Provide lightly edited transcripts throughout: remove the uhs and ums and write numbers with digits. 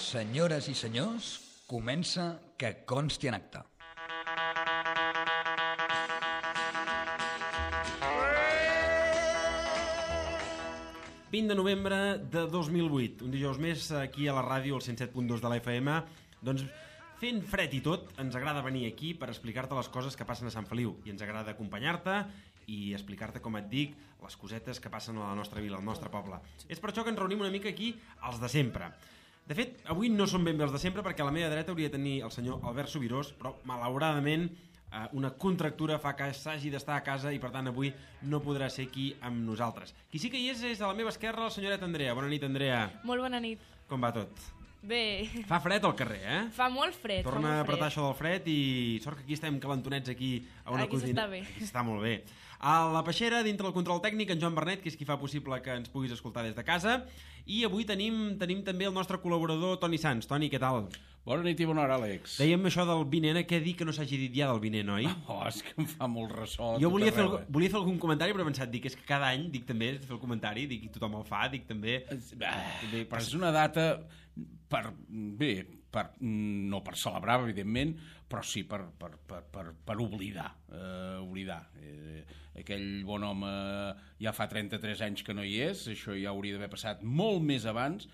Senyores i senyors, comença Que consti en acta. – 20 de novembre de 2008, un dijous més aquí a la ràdio, al 107.2 de la FM. Doncs fent fred i tot, ens agrada venir aquí per explicar-te les coses que passen a Sant Feliu i ens agrada acompanyar-te i explicar-te, com et dic, les cosetes que passen a la nostra vila, al nostre poble. És per això que ens reunim una mica aquí els de sempre. De fet, avui no són ben bé els de sempre perquè a la meva dreta hauria de tenir el senyor Albert Subirós, però malauradament una contractura fa que s'hagi d'estar a casa i per tant avui no podrà ser aquí amb nosaltres. Qui sí que hi és a la meva esquerra la senyoreta Andrea. Bona nit, Andrea. Molt bona nit. Com va tot? Bé. Fa fred al carrer, eh? Fa molt fred. Torna a apretar això del fred i sort que aquí estem calentonets aquí a una cosina. Aquí s'està bé. Aquí està molt bé. A la peixera, dintre del control tècnic, en Joan Bernet, que és qui fa possible que ens puguis escoltar des de casa. I avui tenim també el nostre col·laborador Toni Sans. Toni, què tal? Bona nit i bona hora, Àlex. Dèiem això del vinent, què dir que no s'hagi dit ja del vinent, oi? Oh, és que em fa molt ressò. Jo volia fer algun comentari, però he pensat, és que cada any dic també, fer el comentari, dic, i tothom el fa, dic també... Però és una data no per celebrar, evidentment, però sí per oblidar. Aquell bon home ja fa 33 anys que no hi és, això ja hauria d'haver passat molt més abans,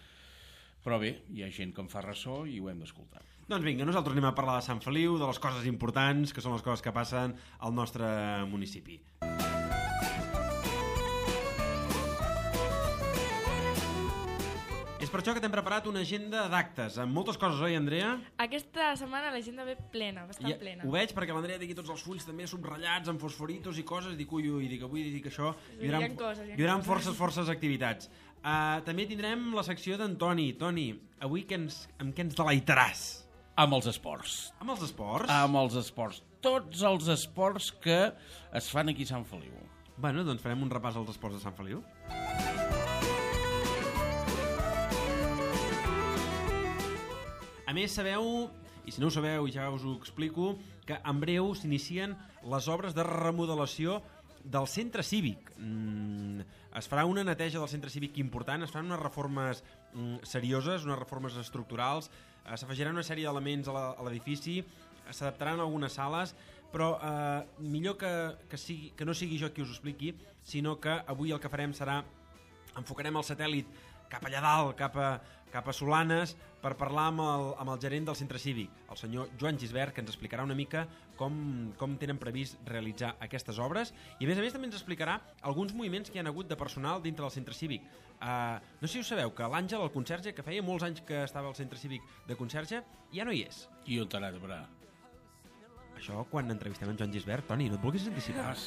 però bé, hi ha gent que em fa ressò i ho hem d'escoltar. Doncs vinga, nosaltres anem a parlar de Sant Feliu, de les coses importants, que són les coses que passen al nostre municipi. És per això que t'hem preparat una agenda d'actes, amb moltes coses, oi, Andrea? Aquesta setmana l'agenda ve plena, bastant plena. Ho veig perquè l'Andrea té aquí tots els fulls també subratllats amb fosforitos i coses, dic ui, dic avui, dic això, hi haurà forces activitats. També tindrem la secció d'Antoni. Toni, avui amb què ens deleitaràs? Amb els esports. Amb els esports? Amb els esports. Tots els esports que es fan aquí a Sant Feliu. Bueno, doncs farem un repàs als esports de Sant Feliu. A més, sabeu, i si no ho sabeu, ja us ho explico, que en breu s'inicien les obres de remodelació del centre cívic. Es farà una neteja del centre cívic important, es faran unes reformes serioses, unes reformes estructurals, s'afegiran una sèrie d'elements a l'edifici, s'adaptaran algunes sales, però millor que no sigui jo qui us ho expliqui, sinó que avui el que farem serà enfocarem el satèl·lit cap allà dalt, cap a Solanes, per parlar amb el gerent del centre cívic, el senyor Joan Gisbert, que ens explicarà una mica com tenen previst realitzar aquestes obres, i a més també ens explicarà alguns moviments que hi ha hagut de personal dintre del centre cívic. No sé si us sabeu que l'Àngel, el conserge, que feia molts anys que estava al centre cívic de conserge, ja no hi és. I on t'ha anat a parar? Això quan entrevistem en Joan Gisbert, Toni, no et vulguis anticipar.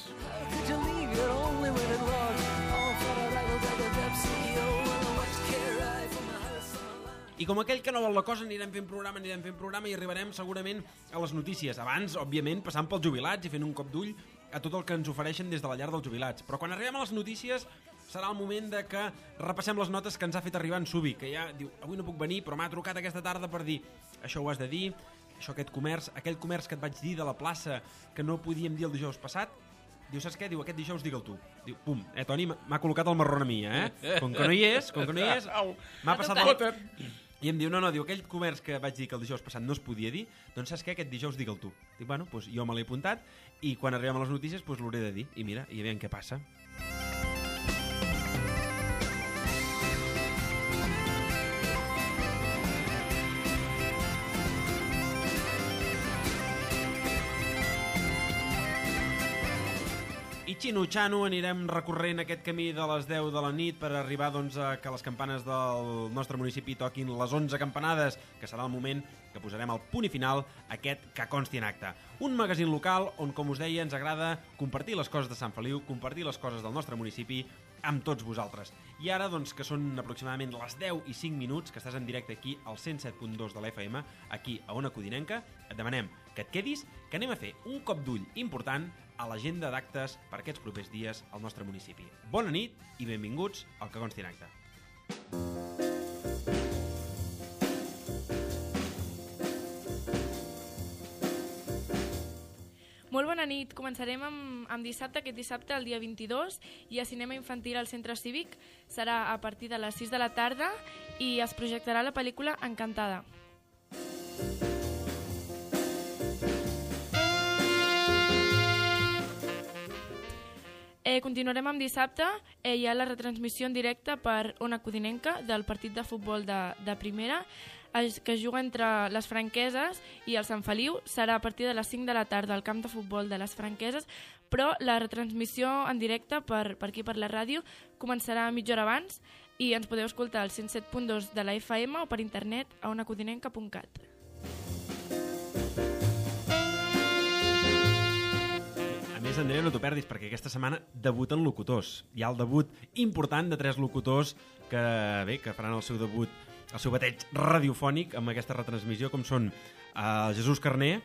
I com aquell que no vol la cosa anirem fent programa i arribarem segurament a les notícies. Abans, òbviament, passant pels jubilats i fent un cop d'ull a tot el que ens ofereixen des de la llar dels jubilats. Però quan arribem a les notícies serà el moment de que repassem les notes que ens ha fet arribar en Subi, que ja diu, avui no puc venir, però m'ha trucat aquesta tarda per dir això ho has de dir, això aquell comerç que et vaig dir de la plaça que no podíem dir el dijous passat. Diu, saps què? Diu, aquest dijous digue'l tu. Diu, pum, Toni, m'ha col·locat el marrón a mi, Com que no hi és, m'ha passat I em diu, no, diu, aquell comerç que vaig dir que el dijous passat no es podia dir, doncs saps què? Aquest dijous digue'l tu. Dic, bueno, doncs jo me l'he apuntat i quan arribem a les notícies doncs l'hauré de dir. I mira, i aviam què passa. I xino-xano anirem recorrent aquest camí de les 10 de la nit per arribar doncs, a que les campanes del nostre municipi toquin les 11 campanades, que serà el moment que posarem el punt i final a aquest Que consti en acte. Un magazín local on, com us deia, ens agrada compartir les coses de Sant Feliu, compartir les coses del nostre municipi amb tots vosaltres. I ara, doncs, que són aproximadament les 10 i 5 minuts, que estàs en directe aquí al 107.2 de la FM, aquí a Ona Codinenca, et demanem que et quedis, que anem a fer un cop d'ull important a l'agenda d'actes per aquests propers dies al nostre municipi. Bona nit i benvinguts al Que consti en acte. Molt bona nit. Començarem amb dissabte, aquest dissabte, el dia 22, i a cinema infantil al Centre Cívic. Serà a partir de les 6 de la tarda i es projectarà la pel·lícula Encantada. Continuarem amb dissabte. Hi ha la retransmissió en directe per Ona Codinenca del partit de futbol de primera, que es juga entre les Franqueses i el Sant Feliu. Serà a partir de les 5 de la tarda al camp de futbol de les Franqueses, però la retransmissió en directe per aquí, per la ràdio, començarà mitja hora abans i ens podeu escoltar al 107.2 de la FM o per internet a onacodinenca.cat. A més, Andrea, no t'ho perdis, perquè aquesta setmana debuten locutors. Hi ha el debut important de 3 locutors que faran el seu debut, el seu bateig radiofònic amb aquesta retransmissió, com són Jesús Carner,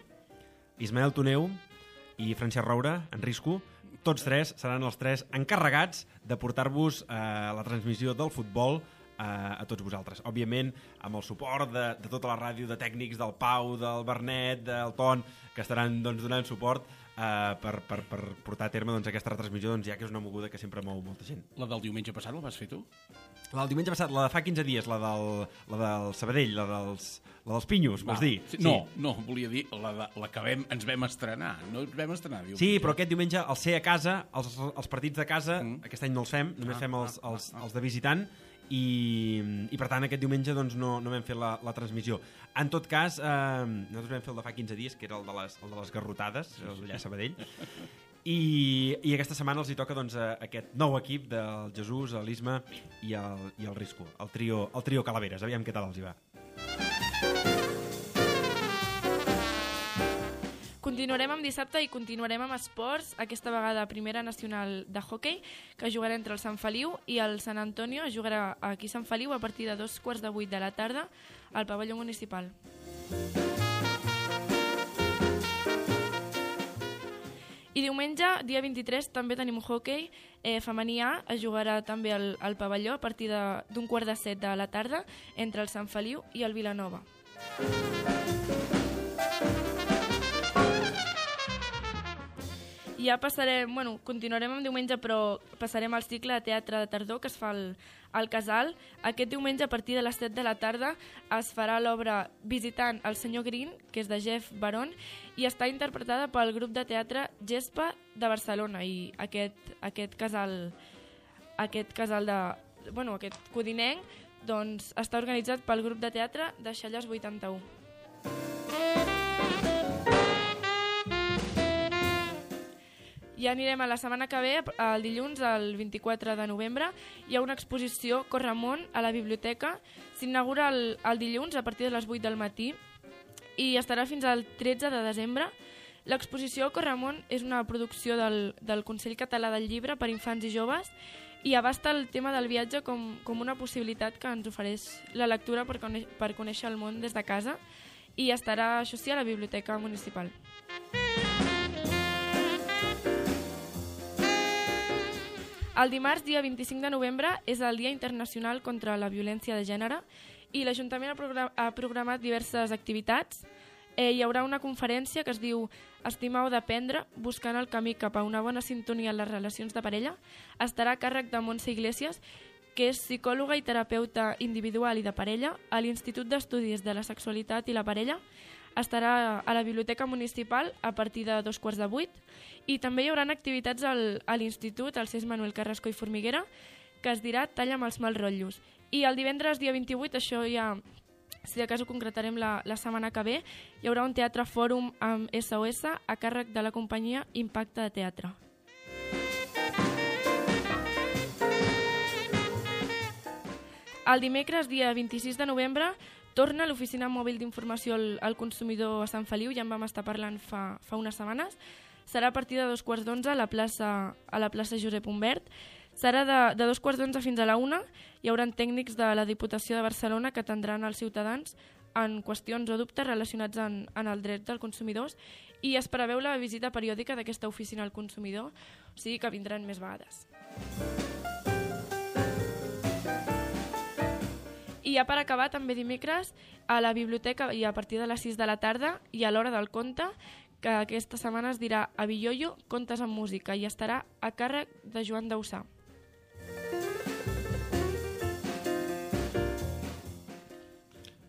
Ismael Toneu i Francesc Roura, en Risco. Tots 3 seran els 3 encarregats de portar-vos la transmissió del futbol a tots vosaltres. Òbviament, amb el suport de tota la ràdio, de tècnics del Pau, del Bernet, del Ton, que estaran donant suport per portar a terme aquesta retransmissió, ja que és una moguda que sempre mou molta gent. La del diumenge passat la vas fer tu? La del diumenge passat, la de fa 15 dies, la del Sabadell, la dels Pinyos, vols dir? Sí. No, volia dir la que ens vam estrenar. No ens vam estrenar diumenge. Sí, però aquest diumenge, al ser a casa, els partits de casa, aquest any no els fem, només fem els de visitant, i per tant aquest diumenge no vam fer la transmissió. En tot cas, nosaltres vam fer el de fa 15 dies, que era el de les garrotades, allà a Sabadell, i aquesta setmana els hi toca aquest nou equip del Jesús, l'Isma i el Risco, el trio Calaveres. Aviam què tal els hi va. Continuarem amb dissabte i continuarem amb esports, aquesta vegada Primera Nacional de Hockey, que jugarà entre el Sant Feliu i el Sant Antonio. Jugarà aquí a Sant Feliu a partir de 7:15 de la tarda al pavelló municipal. I diumenge, dia 23, també tenim hockey femení A. Es jugarà també al pavelló a partir d'7:15 de la tarda entre el Sant Feliu i el Vilanova. Ja passarem, continuarem amb diumenge, però passarem al cicle de teatre de tardor que es fa al Casal. Aquest diumenge, a partir de les 7 de la tarda, es farà l'obra Visitant el senyor Green, que és de Jeff Baron, i està interpretada pel grup de teatre Gespa de Barcelona. I aquest casal aquest codinenc, està organitzat pel grup de teatre de Xalles 81. Ja anirem a la setmana que ve, el dilluns, el 24 de novembre. Hi ha una exposició Corramont a la biblioteca. S'inaugura el dilluns a partir de les 8 del matí i estarà fins al 13 de desembre. L'exposició Corramont és una producció del Consell Català del Llibre per infants i joves i abasta el tema del viatge com una possibilitat que ens ofereix la lectura per conèixer el món des de casa, i estarà, això sí, a la biblioteca municipal. El dimarts, dia 25 de novembre, és el Dia Internacional contra la Violència de Gènere i l'Ajuntament ha programat diverses activitats. Hi haurà una conferència que es diu Estimar o d'aprendre, buscant el camí cap a una bona sintonia en les relacions de parella. Estarà a càrrec de Montse Iglesias, que és psicòloga i terapeuta individual i de parella a l'Institut d'Estudis de la Sexualitat i la Parella. Estarà a la Biblioteca Municipal a partir de 7:15 i també hi haurà activitats a l'Institut, al CES Manuel Carrasco i Formiguera, que es dirà Talla'm els mal rotllos. I el divendres, dia 28, això ja, si de cas ho concretarem la setmana que ve, hi haurà un teatre fòrum amb SOS a càrrec de la companyia Impacte de Teatre. El dimecres, dia 26 de novembre, torna l'Oficina Mòbil d'Informació al Consumidor a Sant Feliu, ja en vam estar parlant fa unes setmanes. Serà a partir de 2:15 a la plaça Josep Humbert. Serà de 2:15 fins a la 1. Hi haurà tècnics de la Diputació de Barcelona que atendran els ciutadans en qüestions o dubtes relacionats en el dret dels consumidors, i es preveu la visita periòdica d'aquesta oficina al consumidor, o sigui que vindran més vegades. I ja per acabar, també dimecres, a la biblioteca, i a partir de les 6 de la tarda i a l'hora del conte, que aquesta setmana es dirà Avilloyo, contes amb música, i estarà a càrrec de Joan Dausà.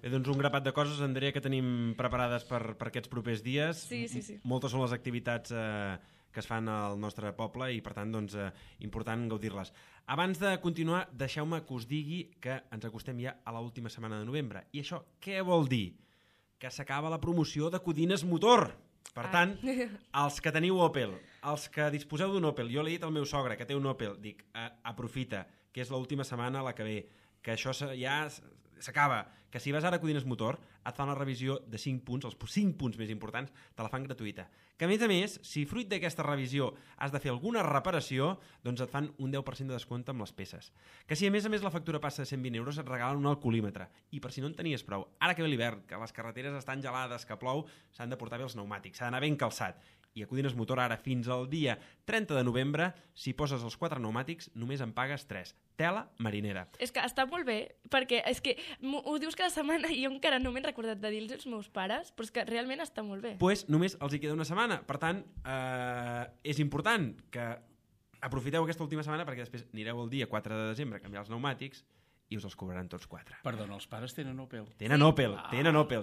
Bé, doncs un grapat de coses, Andrea, que tenim preparades per aquests propers dies. Sí. Moltes són les activitats que es fan al nostre poble i, per tant, doncs, important gaudir-les. Abans de continuar, deixeu-me que us digui que ens acostem ja a l'última setmana de novembre. I això què vol dir? Que s'acaba la promoció de Codines Motor. Per tant, els que teniu Opel, els que disposeu d'un Opel, jo l'he dit al meu sogre que té un Opel, dic, aprofita, que és l'última setmana la que ve, que això ja s'acaba, que si vas ara a Codines Motor et fan la revisió de 5 punts, els 5 punts més importants te la fan gratuïta. Que a més, si fruit d'aquesta revisió has de fer alguna reparació, doncs et fan un 10% de descompte amb les peces. Que si a més la factura passa de 120 euros et regalen un alcoholímetre. I per si no en tenies prou, ara que ve l'hivern, que les carreteres estan gelades, que plou, s'han de portar bé els pneumàtics, s'ha d'anar ben calçat. I a Codines Motor ara fins al dia 30 de novembre, si poses els 4 pneumàtics, només en pagues 3. Tela marinera. És que està molt bé, perquè és que ho dius cada setmana i jo encara no m'he recordat de dir-los als meus pares, però és que realment està molt bé. Pues només els hi queda una setmana. Per tant, és important que aprofiteu aquesta última setmana perquè després anireu el dia 4 de desembre a canviar els pneumàtics i us els cobraran tots 4. Perdona, els pares tenen Opel? Tenen Opel.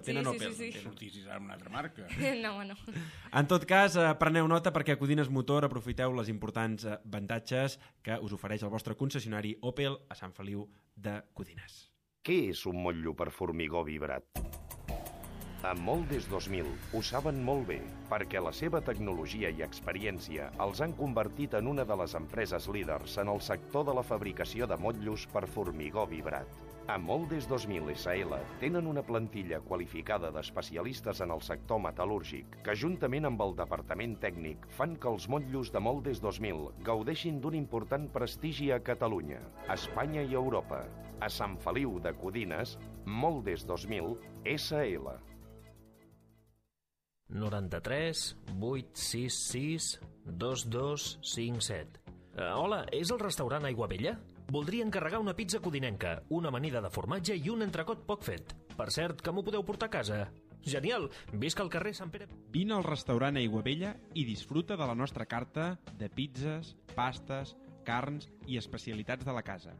Sí. Sortissis ara una altra marca. No. En tot cas, preneu nota perquè a Codines Motor aprofiteu les importants avantatges que us ofereix el vostre concessionari Opel a Sant Feliu de Codines. Què és un motllo per formigó vibrat? A Moldes 2000 ho saben molt bé, perquè la seva tecnologia i experiència els han convertit en una de les empreses líders en el sector de la fabricació de motllos per formigó vibrat. A Moldes 2000 SL tenen una plantilla qualificada d'especialistes en el sector metal·lúrgic que, juntament amb el departament tècnic, fan que els motllos de Moldes 2000 gaudeixin d'un important prestigi a Catalunya, a Espanya i a Europa. A Sant Feliu de Codines, Moldes 2000 SL. 93 866 2257. Hola, és el restaurant Aigua Vella? Voldria encarregar una pizza codinenca, una amanida de formatge i un entrecot poc fet. Per cert, que m'ho podeu portar a casa? Genial! Visc al carrer Sant Pere... Vine al restaurant Aigua Vella i disfruta de la nostra carta de pizzas, pastes, carns i especialitats de la casa.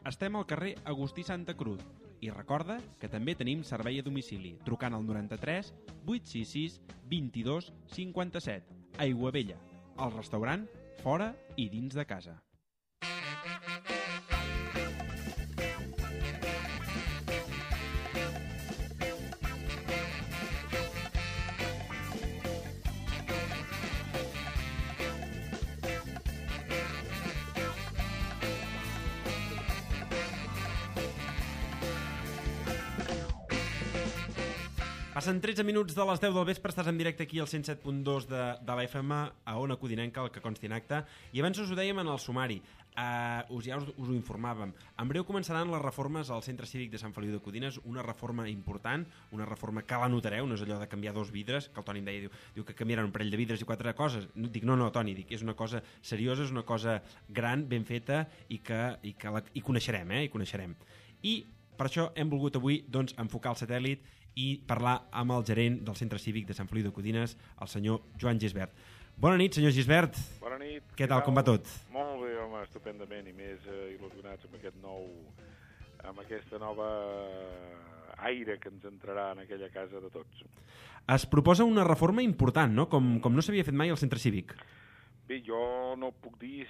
Estem al carrer Agustí Santa Cruz i recorda que també tenim servei a domicili trucant al 93 866 22 57. Aigua Vella, el restaurant fora i dins de casa. Passen 13 minuts de les 10 del vespre, estàs en directe aquí al 107.2 de la FM a Ona Codinenca, el que consti en acte. I abans us ho dèiem en el sumari, us ho informàvem. En breu començaran les reformes al Centre Cívic de Sant Feliu de Codines, una reforma important, una reforma que la notareu, no és allò de canviar 2 vidres, que el Toni em deia, diu que canviaran un parell de vidres i 4 coses. Dic, no, Toni, dic, és una cosa seriosa, és una cosa gran, ben feta i que coneixerem, i coneixerem. I per això hem volgut avui doncs, enfocar el satèl·lit i parlar amb el gerent del Centre Cívic de Sant Feliu de Codines, el senyor Joan Gisbert. Bona nit, senyor Gisbert. Bona nit. Què tal, com va tot? Molt bé, home, estupendament, i més il·lusionats amb aquesta nova aire que ens entrarà en aquella casa de tots. Es proposa una reforma important, no? Com no s'havia fet mai al Centre Cívic. Bé, jo no puc dir,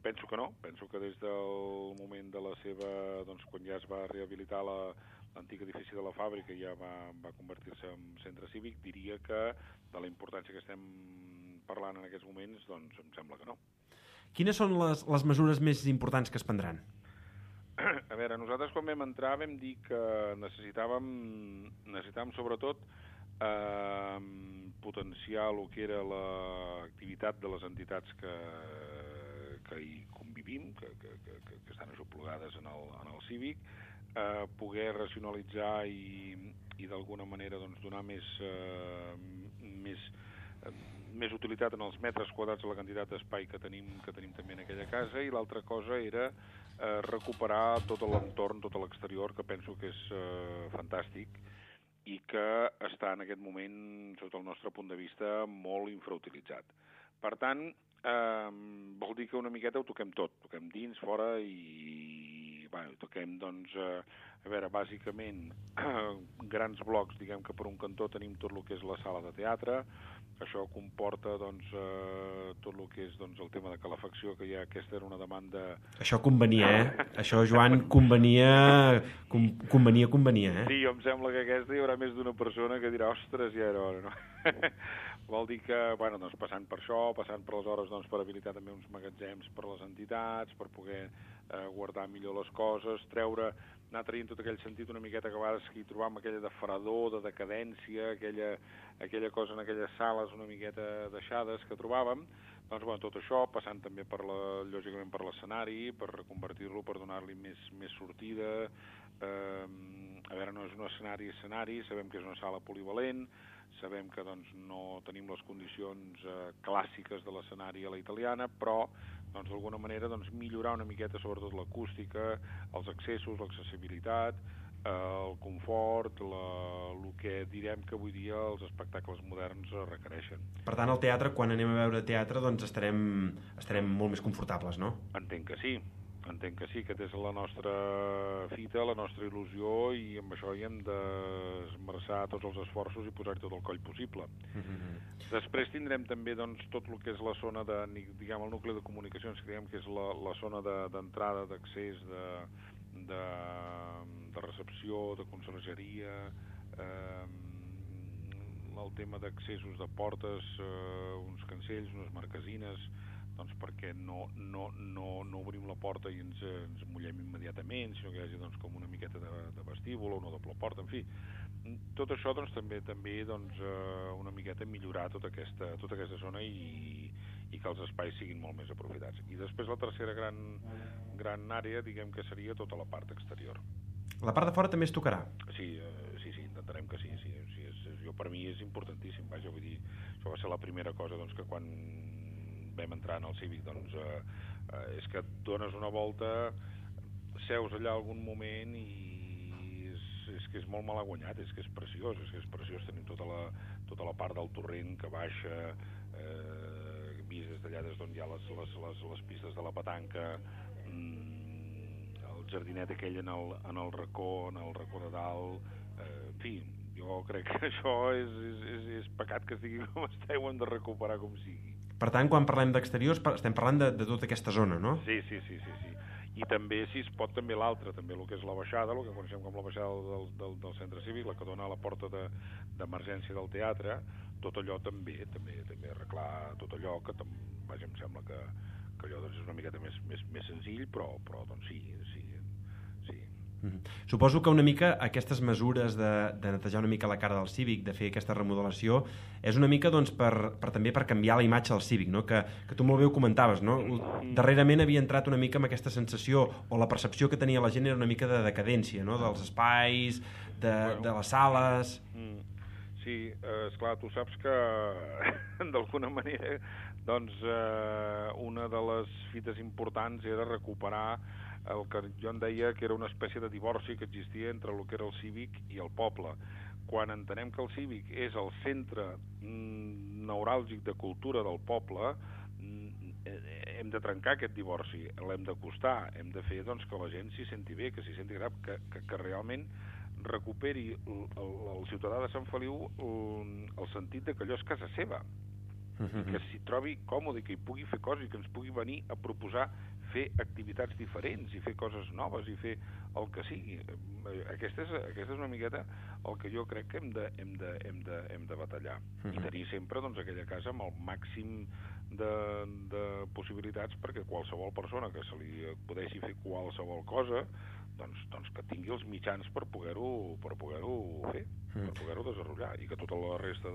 penso que no. Penso que des del moment de la seva, doncs, quan ja es va rehabilitar l'antic edifici de la fàbrica i ja va convertir-se en centre cívic, diria que de la importància que estem parlant en aquests moments, doncs em sembla que no. Quines són les mesures més importants que es prendran? A veure, nosaltres quan vam entrar vam dir que necessitàvem sobretot potenciar el que era l'activitat de les entitats que hi convivim, que estan aixoplugades en el cívic, poder racionalitzar i d'alguna manera doncs, donar més utilitat en els metres quadrats a la quantitat d'espai que tenim també en aquella casa, i l'altra cosa era recuperar tot l'entorn, tot l'exterior, que penso que és fantàstic, i que està en aquest moment, sota el nostre punt de vista, molt infrautilitzat. Per tant, vol dir que una miqueta ho toquem tot, toquem dins, fora i toquem, doncs, a veure, bàsicament, grans blocs, diguem que per un cantó tenim tot el que és la sala de teatre. Això comporta, doncs, tot el que és, doncs, el tema de calefacció, que ja aquesta era una demanda... Això convenia, Això, Joan, convenia, Sí, em sembla que aquesta hi haurà més d'una persona que dirà, ostres, ja era hora, no? Vol dir que, doncs, passant per això, passant per les hores, doncs, per habilitar també uns magatzems per les entitats, per poder guardar millor les coses, anar traient tot aquell sentit una miqueta que a vegades hi trobam aquella de fredor, de decadència, aquella cosa en aquelles sales una miqueta deixades que trobàvem. Doncs, tot això, passant també lògicament per l'escenari, per reconvertir-lo, per donar-li més sortida. A veure, no és un escenari, sabem que és una sala polivalent, sabem que, doncs, no tenim les condicions clàssiques de l'escenari a la italiana, però, doncs, d'alguna manera, doncs, millorar una miqueta sobretot l'acústica, els accessos, l'accessibilitat, el confort, el que direm que avui dia els espectacles moderns requereixen. Per tant, al teatre, quan anem a veure teatre, doncs estarem molt més confortables, no? Entenc que sí, que és la nostra fita, la nostra il·lusió, i amb això hi hem d'esmerçar tots els esforços i posar-hi tot el coll possible. Després tindrem també, doncs, tot el que és la zona diguem, el nucli de comunicacions, que diguem que és la zona d'entrada, d'accés, de recepció, de consergeria, el tema d'accessos de portes, uns cancells, unes marquesines, doncs perquè no obrim la porta i ens mullem immediatament, sinó que hi hagi, doncs, com una miqueta de vestíbul o una doble porta, en fi. Tot això, doncs, també doncs, una miqueta millorar tota aquesta zona i que els espais siguin molt més aprofitats. I després la tercera gran àrea, diguem que seria tota la part exterior. La part de fora també es tocarà? Sí, intentarem que sí. Per mi és importantíssim, vaja, vull dir, això va ser la primera cosa, doncs, que quan vam entrar en el Cívic, doncs, és que et dones una volta, seus allà algun moment i és que és molt malaguanyat, és que és preciós, tenim tota la part del torrent que baixa, vist des d'allà des d'on hi ha les pistes de la petanca, el jardinet aquell en el racó de dalt, en fi, jo crec que això és pecat que estigui com està, ho hem de recuperar com sigui. Per tant, quan parlem d'exteriors, estem parlant de tota aquesta zona, no? Sí. I també, si es pot, també l'altra, també el que és la baixada, el que coneixem com la baixada del centre cívic, la que dona a la porta d'emergència del teatre, tot allò també arreglar tot allò, que vaja, em sembla que allò, doncs, és una miqueta més senzill, però doncs sí. Suposo que una mica aquestes mesures de netejar una mica la cara del Cívic, de fer aquesta remodelació, és una mica, doncs, també per canviar la imatge del Cívic, no? Que tu molt bé ho comentaves, no? Darrerament havia entrat una mica amb aquesta sensació, o la percepció que tenia la gent era una mica de decadència, no? Dels espais, de les sales... Sí, esclar, tu saps que d'alguna manera, doncs, una de les fites importants era recuperar el que jo en deia que era una espècie de divorci que existia entre el que era el Cívic i el poble. Quan entenem que el Cívic és el centre neuràlgic de cultura del poble, hem de trencar aquest divorci, l'hem d'acostar, hem de fer, doncs, que la gent s'hi senti bé, que s'hi senti grap, que realment recuperi el ciutadà de Sant Feliu el sentit de que allò és casa seva, que s'hi trobi còmode, que hi pugui fer coses i que ens pugui venir a proposar fer activitats diferents i fer coses noves i fer el que sigui. Aquesta és una miqueta el que jo crec que hem de batallar. I tenir sempre, doncs, aquella casa amb el màxim de possibilitats perquè qualsevol persona que se li acudeixi fer qualsevol cosa, doncs que tingui els mitjans per poder-ho fer, per poder-ho desenvolupar, i que tota la resta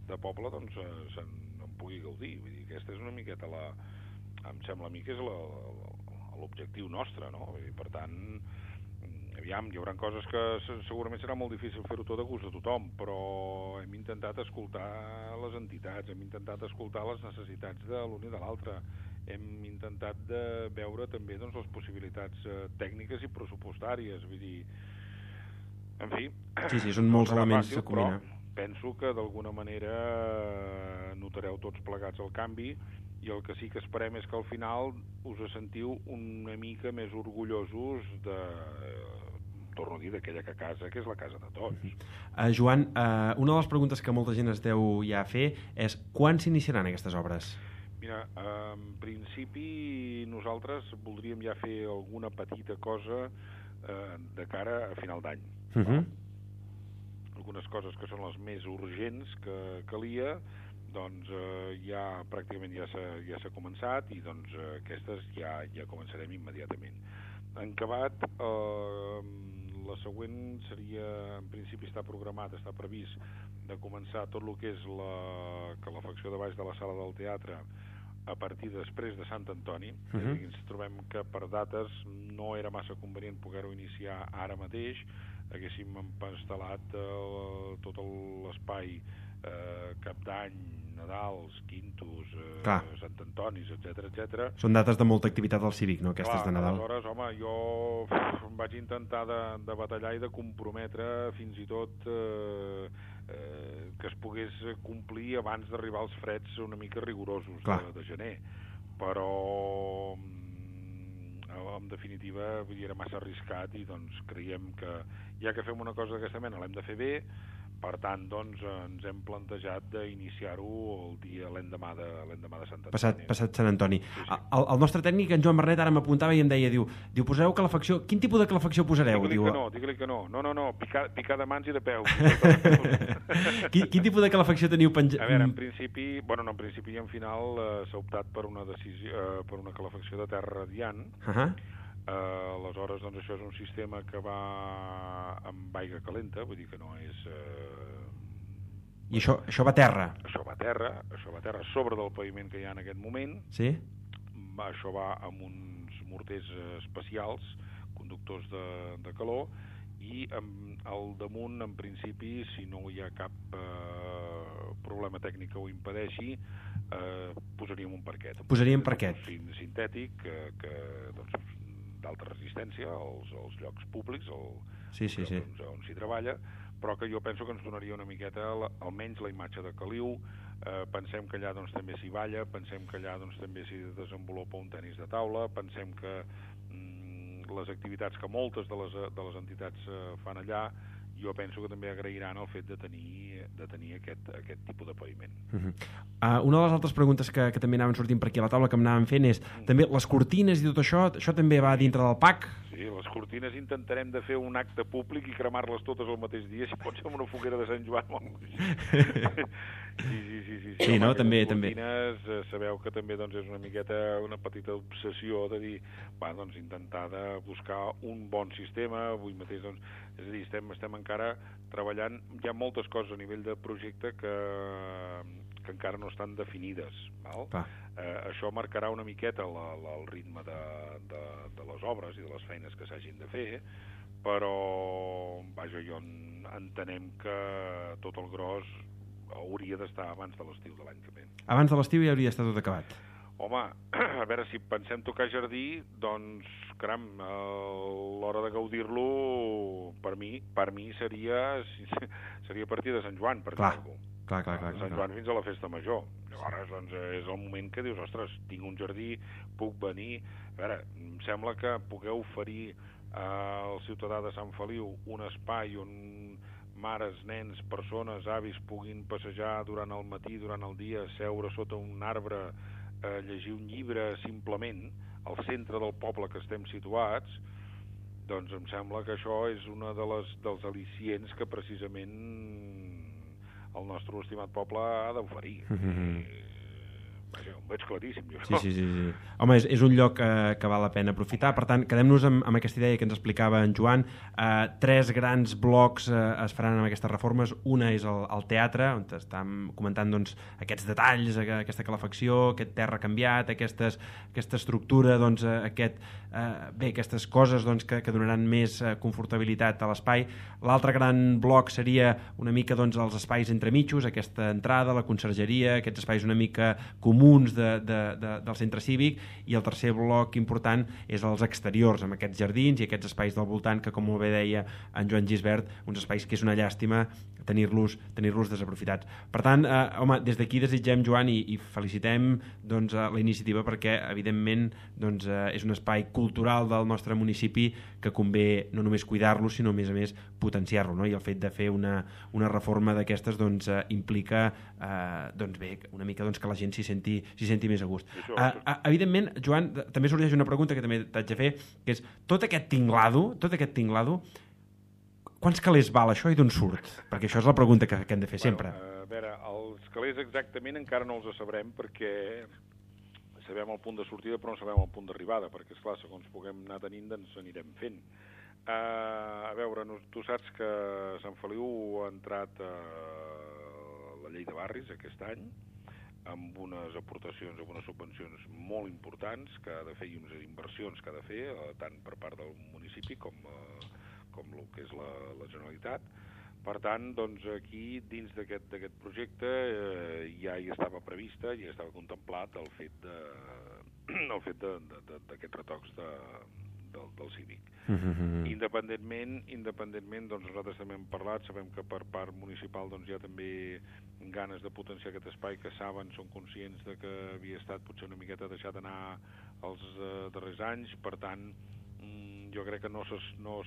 de poble, doncs, se'n pugui gaudir. Vull dir, aquesta és una miqueta em sembla a mi que és l'objectiu nostre, no? I per tant, aviam, hi haurà coses que segurament serà molt difícil fer-ho tot a gust de tothom, però hem intentat escoltar les entitats, hem intentat escoltar les necessitats de l'un i de l'altre, hem intentat de veure també, doncs, les possibilitats tècniques i pressupostàries. Vull dir, En fi... Sí, són molts serà elements fàcil, a combinar. però penso que d'alguna manera notareu tots plegats el canvi, i el que sí que esperem és que al final us sentiu una mica més orgullosos de, torno a dir, d'aquella casa que és la casa de tots. Joan, una de les preguntes que molta gent es deu ja fer és quan s'iniciaran aquestes obres? Mira, en principi nosaltres voldríem ja fer alguna petita cosa de cara a final d'any. Algunes coses que són les més urgents que calia, doncs ja pràcticament ja s'ha començat, i doncs aquestes ja començarem immediatament. En acabat, la següent seria, en principi està programat, està previst de començar tot el que és la calefacció de baix de la sala del teatre a partir després de Sant Antoni. Ens trobem que per dates no era massa convenient poder-ho iniciar ara mateix. Haguéssim instal·lat tot l'espai Cap d'Any, Nadals, Quintos, Sant Antonis, etc. Són dates de molta activitat al Cívic, no?, aquestes de Nadal. Aleshores, home, jo em vaig intentar de batallar i de comprometre fins i tot que es pogués complir abans d'arribar als freds una mica rigorosos de gener. Però en definitiva era massa arriscat, i doncs creiem que ja que fem una cosa d'aquesta mena l'hem de fer bé. Per tant, doncs, ens hem plantejat d'iniciar-ho l'endemà de Sant Antoni. Passat Sant Antoni. El nostre tècnic, en Joan Bernet, ara m'apuntava i em deia, diu, posareu calefacció? Quin tipus de calefacció posareu? Digue-li que no. No, picar de mans i de peus. Quin tipus de calefacció teniu penjat? A veure, en principi i en final s'ha optat per una decisió, per una calefacció de terra radiant. Aleshores, doncs, això és un sistema que va amb aigua calenta, vull dir que no és... I això va a terra? Això va a terra, sobre del paviment que hi ha en aquest moment. Sí? Això va amb uns morters especials, conductors de calor, i al damunt, en principi, si no hi ha cap problema tècnic que ho impedeixi, posaríem un parquet. Posaríem parquet. Sintètic, doncs, d'alta resistència als llocs públics on s'hi treballa, però que jo penso que ens donaria una miqueta almenys la imatge de Caliu. Pensem que allà doncs, també s'hi balla, pensem que allà doncs, també s'hi desenvolupa un tenis de taula, pensem que les activitats que moltes de les entitats fan allà, jo penso que també agrairan el fet de tenir aquest tipus de paviment. Una de les altres preguntes que també anaven sortint per aquí a la taula, que m'anaven fent, és també les cortines i tot això també va dintre del PAC? Sí, les cortines intentarem de fer un acte públic i cremar-les totes el mateix dia, si pot ser amb una foguera de Sant Joan o alguna cosa. Sí, no? També. Les cortines, sabeu que també doncs, és una miqueta una petita obsessió de dir, doncs intentar de buscar un bon sistema. Avui mateix, doncs, és a dir, estem encara treballant, hi ha moltes coses a nivell de projecte que encara no estan definides. Això marcarà una miqueta el ritme de les obres i de les feines que s'hagin de fer, però jo entenem que tot el gros hauria d'estar abans de l'estiu de l'any que ve. Abans de l'estiu ja hauria d'estar tot acabat. Home, a veure, si pensem tocar jardí, doncs, caram, l'hora de gaudir-lo per mi seria a partir de Sant Joan, per dir-ho. Clar. Sant Joan fins a la festa major. Llavors, doncs, és el moment que dius, ostres, tinc un jardí, puc venir... A veure, em sembla que pugueu oferir al ciutadà de Sant Feliu un espai on mares, nens, persones, avis puguin passejar durant el matí, durant el dia, seure sota un arbre, llegir un llibre simplement al centre del poble que estem situats, doncs em sembla que això és una dels al·licients que precisament el nostre estimat poble ha d'oferir. Ho veig claríssim, jo. Sí. Home, és un lloc que val la pena aprofitar. Per tant, quedem-nos amb aquesta idea que ens explicava en Joan. 3 grans blocs es faran amb aquestes reformes. Una és el teatre, on estàvem comentant doncs, aquests detalls, aquesta calefacció, aquest terra canviat, aquesta estructura, doncs, aquestes coses doncs, que donaran més confortabilitat a l'espai. L'altre gran bloc seria una mica doncs, els espais entremitjos, aquesta entrada, la consergeria, aquests espais una mica comuns comuns del centre cívic, i el tercer bloc important és els exteriors, amb aquests jardins i aquests espais del voltant que, com molt bé deia en Joan Gisbert, uns espais que és una llàstima tenir-los desaprofitats. Per tant, home, des d'aquí desitgem, Joan, i felicitem doncs, la iniciativa, perquè evidentment doncs, és un espai cultural del nostre municipi que convé no només cuidar-lo, sinó a més potenciar-lo, no? I el fet de fer una reforma d'aquestes doncs, implica doncs, bé, una mica doncs, que la gent s'hi senti més a gust. Evidentment, Joan, també sorgeix una pregunta que també t'haig de fer, que és tot aquest tinglado, quants calés val això i d'on surt? Perquè això és la pregunta que hem de fer sempre. A veure, els calés exactament encara no els sabrem, perquè sabem el punt de sortida però no sabem el punt d'arribada, perquè esclar, segons puguem anar tenint ens anirem fent. A veure, tu saps que Sant Feliu ha entrat a la llei de barris aquest any, amb unes aportacions, amb unes subvencions molt importants que ha de fer, i unes inversions que ha de fer, tant per part del municipi com el que és la Generalitat. Per tant, doncs, aquí, dins d'aquest projecte, ja hi estava prevista, ja estava contemplat el fet d'aquests retocs del cívic. Independentment, doncs nosaltres també hem parlat, sabem que per part municipal doncs, hi ha també ganes de potenciar aquest espai, que saben, són conscients de que havia estat potser una miqueta deixat anar els darrers anys. Per tant, jo crec que no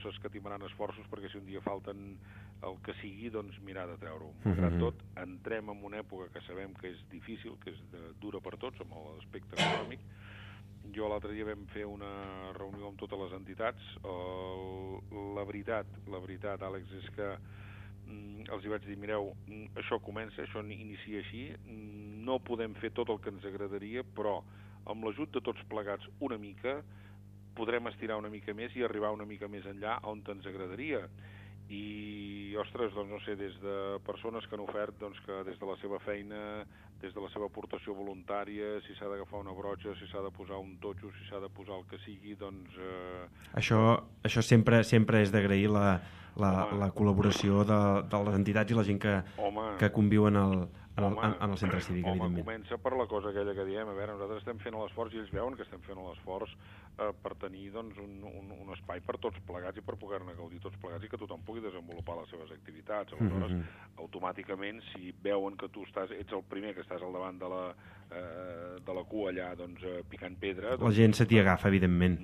s'escatimaran esforços, perquè si un dia falten el que sigui, doncs mirar de treure-ho. Malgrat tot, entrem en una època que sabem que és difícil, que és dura per tots, amb l'aspecte econòmic. Jo l'altre dia vam fer una reunió amb totes les entitats. La veritat, Àlex, és que els hi vaig dir, mireu, això comença, això inicia així, no podem fer tot el que ens agradaria, però amb l'ajut de tots plegats una mica, podrem estirar una mica més i arribar una mica més enllà on ens agradaria. I, ostres, doncs no sé, des de persones que han ofert doncs, que des de la seva feina, des de la seva aportació voluntària, si s'ha d'agafar una broxa, si s'ha de posar un totxo, si s'ha de posar el que sigui, doncs... Això sempre és d'agrair la col·laboració de les entitats i la gent que conviuen en el centre cívic, evidentment. Comença per la cosa aquella que diem, a veure, nosaltres estem fent l'esforç i ells veuen que estem fent l'esforç per tenir doncs, un espai per tots plegats i per poder-ne gaudir tots plegats i que tothom pugui desenvolupar les seves activitats. Aleshores, automàticament, si veuen que tu ets el primer que estàs al davant de la cua allà, doncs, picant pedra... La gent se t'hi agafa, evidentment.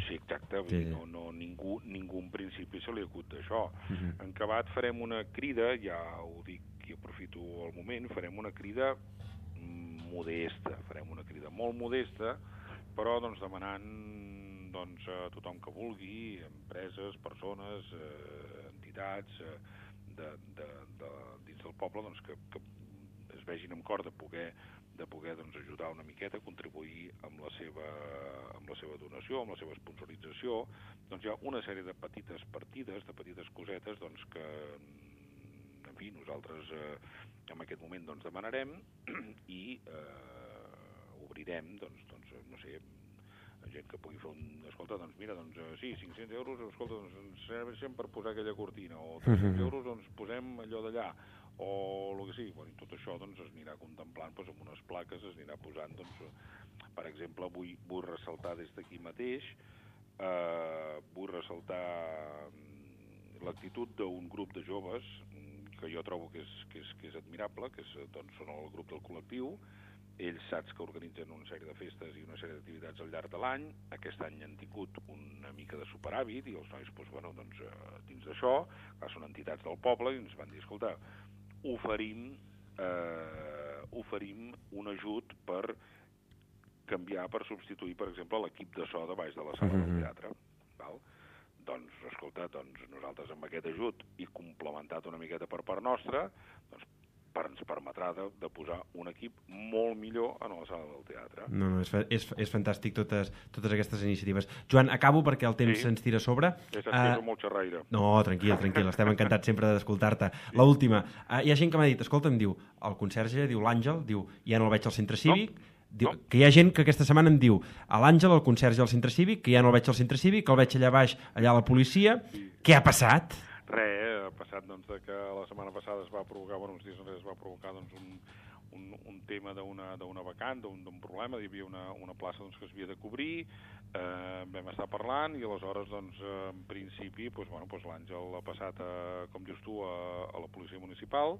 Sí, exacte. Sí. Ningú en principi se li acut d'això. En acabat farem una crida, ja ho dic i aprofito el moment, farem una crida modesta, farem una crida molt modesta, però doncs, demanant doncs, a tothom que vulgui, empreses, persones, entitats dins del poble, doncs, que es vegin amb cor de poder doncs, ajudar una miqueta, contribuir amb la seva donació, amb la seva sponsorització. Doncs hi ha una sèrie de petites partides, de petites cosetes, doncs, que en fi, nosaltres en aquest moment doncs, demanarem i obrirem, doncs, no sé, gent que pugui fer escolta, doncs mira, doncs sí, 500 euros, escolta, doncs ens serveixen per posar aquella cortina, o 300 euros, doncs posem allò d'allà, o el que sigui. Bueno, tot això doncs, es anirà contemplant doncs, amb unes plaques, es anirà posant, doncs, per exemple, vull ressaltar des d'aquí mateix, vull ressaltar l'actitud d'un grup de joves que jo trobo que és admirable, que doncs, són el grup del col·lectiu. Ells saps que organitzen una sèrie de festes i una sèrie d'activitats al llarg de l'any. Aquest any han tingut una mica de superàvit i els nois, doncs, bueno, doncs, dins d'això, són entitats del poble i ens van dir, escolta, oferim un ajut per canviar, per substituir, per exemple, l'equip de so de baix de la sala del teatre. Val? Doncs, escolta, nosaltres amb aquest ajut i complementat una miqueta per part nostra, doncs ens permetrà de posar un equip molt millor a la sala del teatre. No, és fantàstic totes aquestes iniciatives. Joan, acabo perquè el temps se'ns tira a sobre. És molt xerraire. No, tranquil, estem encantats sempre d'escoltar-te. L'última, hi ha gent que m'ha dit, escolta, em diu, el conserge, diu l'Àngel, diu, ja no el veig al centre cívic, diu, que hi ha gent que aquesta setmana em diu a l'Àngel, el conserge al centre cívic, que ja no el veig al centre cívic, que el veig allà baix, allà a la policia. Què ha passat? Res, ha passat doncs, que la setmana passada es va provocar, uns dies enrere es va provocar doncs, un tema d'una vacant, d'un problema, hi havia una plaça doncs, que es havia de cobrir, vam estar parlant i aleshores doncs, en principi l'Àngel ha passat, com dius tu, a la policia municipal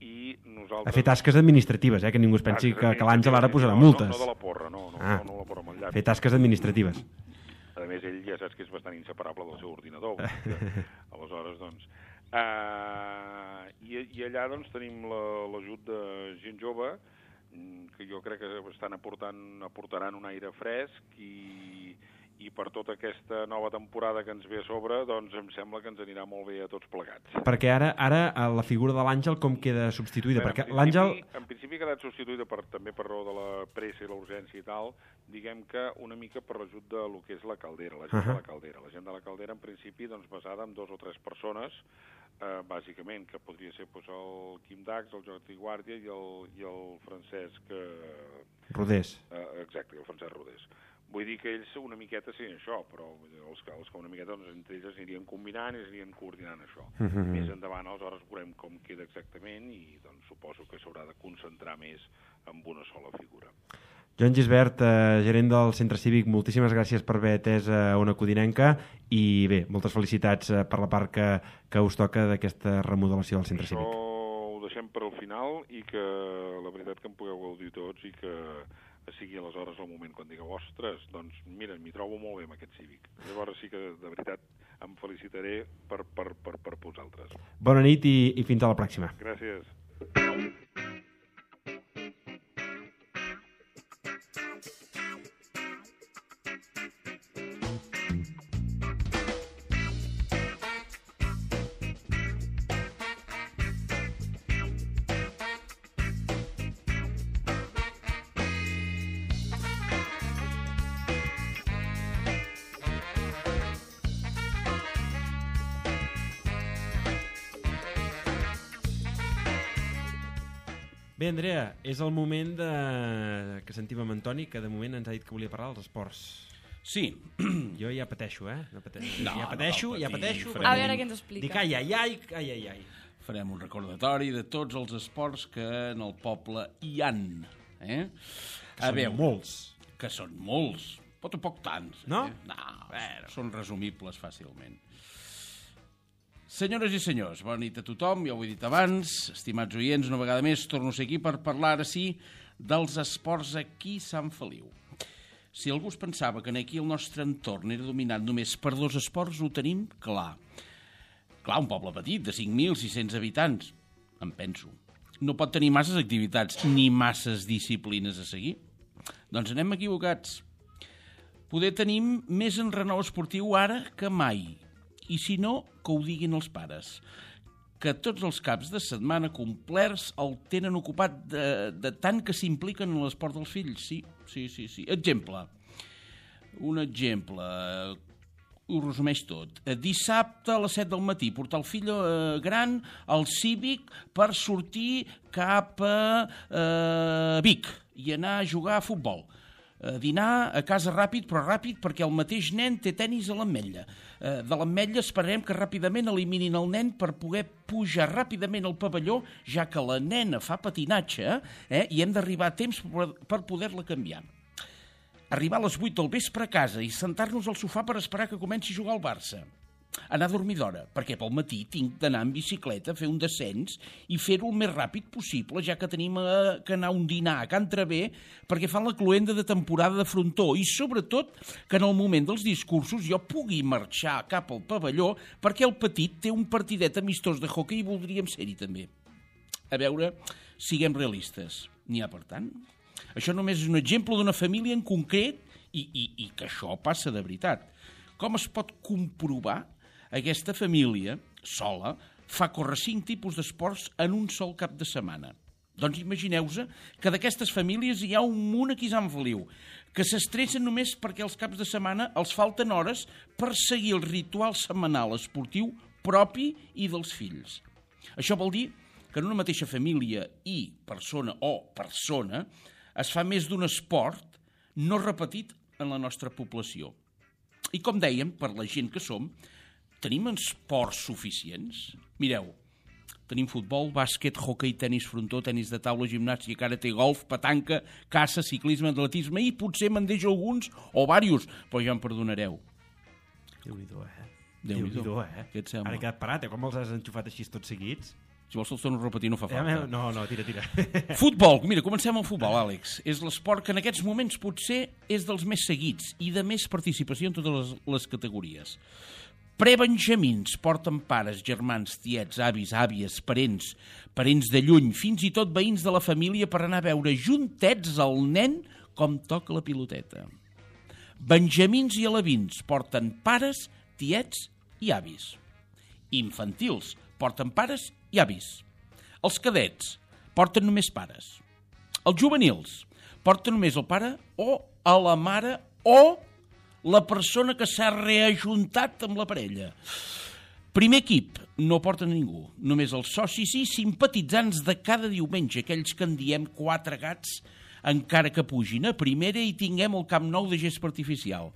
i nosaltres... A fer tasques administratives, que ningú es pensi que l'Àngel ara posarà multes. No de la porra, no la porra amb el llaç. Fer tasques administratives. A més, ell ja saps que és bastant inseparable del seu ordinador. Aleshores, doncs... I allà doncs, tenim l'ajut de gent jove que jo crec que aportaran un aire fresc i per tota aquesta nova temporada que ens ve a sobre, doncs em sembla que ens anirà molt bé a tots plegats. Perquè ara la figura de l'Àngel com queda substituïda? Perquè l'Àngel... En principi ha quedat substituïda també per raó de la pressa i la urgència i tal, diguem que una mica per l'ajut de lo que és la caldera, la gent de la caldera. La gent de la caldera, en principi, doncs, basada en 2 o 3 persones, bàsicament, que podria ser el Quim Dax, el Jordi Guàrdia i el Francesc... Rodés. Exacte, el Francesc Rodés. Vull dir que ells una miqueta serien això, però els que una miqueta doncs, entre ells anirien combinant i anirien coordinant això. Més endavant, aleshores, veurem com queda exactament i doncs, suposo que s'haurà de concentrar més en una sola figura. Joan Gisbert, gerent del Centre Cívic, moltíssimes gràcies per haver atès Ona Codinenca i bé, moltes felicitats per la part que us toca d'aquesta remodelació del Centre Cívic. Això ho deixem per al final i que la veritat que en pugueu gaudir tots i que sigui aleshores el moment quan digueu, ostres, doncs mira, m'hi trobo molt bé amb aquest Cívic. Llavors sí que de veritat em felicitaré per vosaltres. Bona nit i fins a la pròxima. Gràcies. Bé, Andrea, és el moment que sentim amb Antoni, que de moment ens ha dit que volia parlar dels esports. Sí. Jo ja pateixo, No, ja pateixo. A veure què ens explica. Dic, ai. Farem un recordatori de tots els esports que en el poble hi han. Que són molts, però tampoc tants. No? Són resumibles fàcilment. Senyores i senyors, bona nit a tothom, ja ho he dit abans, estimats oients, una vegada més torno a ser aquí per parlar ara sí dels esports aquí a Sant Feliu. Si algú es pensava que aquí el nostre entorn era dominat només per 2 esports, ho tenim clar. Clar, un poble petit de 5.600 habitants, em penso. No pot tenir masses activitats ni masses disciplines a seguir. Doncs anem equivocats. Poder tenim més enrenou esportiu ara que mai. I si no, que ho diguin els pares, que tots els caps de setmana complerts el tenen ocupat de tant que s'impliquen en l'esport dels fills. Sí. Exemple. Un exemple. Ho resumeix tot. Dissabte a les 7 del matí, portar el fill gran al Cívic per sortir cap a Vic i anar a jugar a futbol. Dinar a casa ràpid, però ràpid perquè el mateix nen té tenis a l'Ametlla. De l'Ametlla esperarem que ràpidament eliminin el nen per poder pujar ràpidament al pavelló, ja que la nena fa patinatge i hem d'arribar a temps per poder-la canviar. Arribar a les 8 del vespre a casa i sentar-nos al sofà per esperar que comenci a jugar al Barça. Anar a dormir d'hora, perquè pel matí tinc d'anar en bicicleta a fer un descens i fer-ho el més ràpid possible, ja que tenim que anar a un dinar a Can Traver perquè fan la cloenda de temporada de frontó i sobretot que en el moment dels discursos jo pugui marxar cap al pavelló perquè el petit té un partidet amistós de hoquei i voldríem ser-hi també. A veure, siguem realistes. N'hi ha per tant? Això només és un exemple d'una família en concret i que això passa de veritat. Com es pot comprovar? Aquesta família, sola, fa córrer 5 tipus d'esports en un sol cap de setmana. Doncs imagineu-vos que d'aquestes famílies hi ha un munt aquí a Sant Feliu, que s'estressen només perquè els caps de setmana els falten hores per seguir el ritual setmanal esportiu propi i dels fills. Això vol dir que en una mateixa família i persona es fa més d'un esport no repetit en la nostra població. I com dèiem, per la gent que som, tenim esports suficients? Mireu, Tenim futbol, bàsquet, hoquei, tenis frontó, tenis de taula, gimnàstica, karate, golf, petanca, caça, ciclisme, atletisme i potser me'n deixo alguns o diversos, però ja em perdonareu. Déu-n'hi-do, Déu-n'hi-do, Què et sembla? Ara he quedat parat, com els has enxufat així tots seguits? Si vols te'ls torno a repetir, no fa falta. No, tira. Futbol, mira, comencem amb futbol, Àlex. És l'esport que en aquests moments potser és dels més seguits i de més participació en totes les categories. Prebenjamins porten pares, germans, tiets, avis, àvies, parents de lluny, fins i tot veïns de la família per anar a veure juntets al nen com toca la piloteta. Benjamins i alevins porten pares, tiets i avis. Infantils porten pares i avis. Els cadets porten només pares. Els juvenils porten només el pare o a la mare o la persona que s'ha reajuntat amb la parella. Primer equip, no porten ningú, només els socis i simpatitzants de cada diumenge, aquells que en diem 4 gats, encara que pugin a primera i tinguem el Camp Nou de gespa artificial.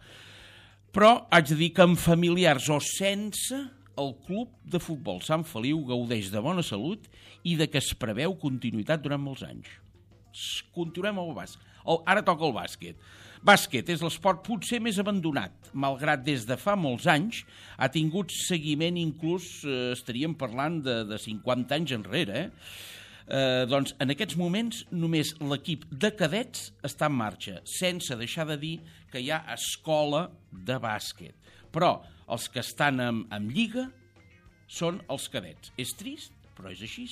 Però haig de dir que amb familiars o sense, el club de futbol Sant Feliu gaudeix de bona salut i de que es preveu continuïtat durant molts anys. Continuem amb el bàsquet. Ara toca el bàsquet. Bàsquet és l'esport potser més abandonat, malgrat des de fa molts anys ha tingut seguiment, inclús estaríem parlant de 50 anys enrere. Doncs en aquests moments només l'equip de cadets està en marxa, sense deixar de dir que hi ha escola de bàsquet. Però els que estan en lliga són els cadets. És trist, però és així.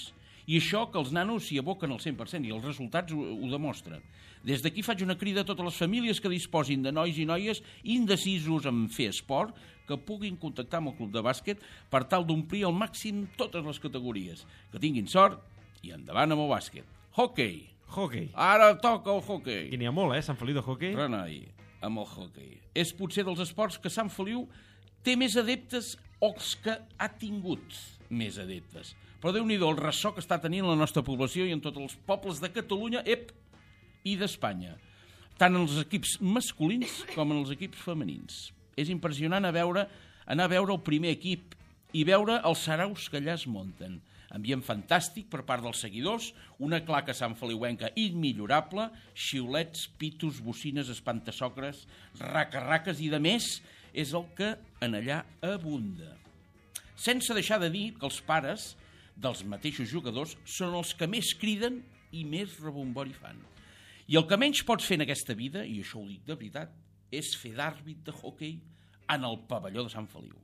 I això que els nanos s'hi aboquen al 100% i els resultats ho demostren. Des d'aquí faig una crida a totes les famílies que disposin de nois i noies indecisos en fer esport que puguin contactar amb el club de bàsquet per tal d'omplir al màxim totes les categories. Que tinguin sort i endavant amb el bàsquet. Hockey. Ara toca el hockey. I n'hi ha molt, Sant Feliu de hockey. Renoi, amb el hockey. És potser dels esports que Sant Feliu té més adeptes o els que ha tingut més adeptes. Però Déu-n'hi-do el ressò que està tenint la nostra població i en tots els pobles de Catalunya i d'Espanya, tant en els equips masculins com en els equips femenins. És impressionant anar a veure el primer equip i veure els saraus que allà es munten. Ambient fantàstic per part dels seguidors, una claca santfeliuenca immillorable, xiulets, pitos, bocines, espantasocres, racarraques i de més, és el que en allà abunda. Sense deixar de dir que els pares dels mateixos jugadors són els que més criden i més rebombori fan. I el que menys pots fer en aquesta vida, i això ho dic de veritat, és fer d'àrbit de hoquei en el pavelló de Sant Feliu.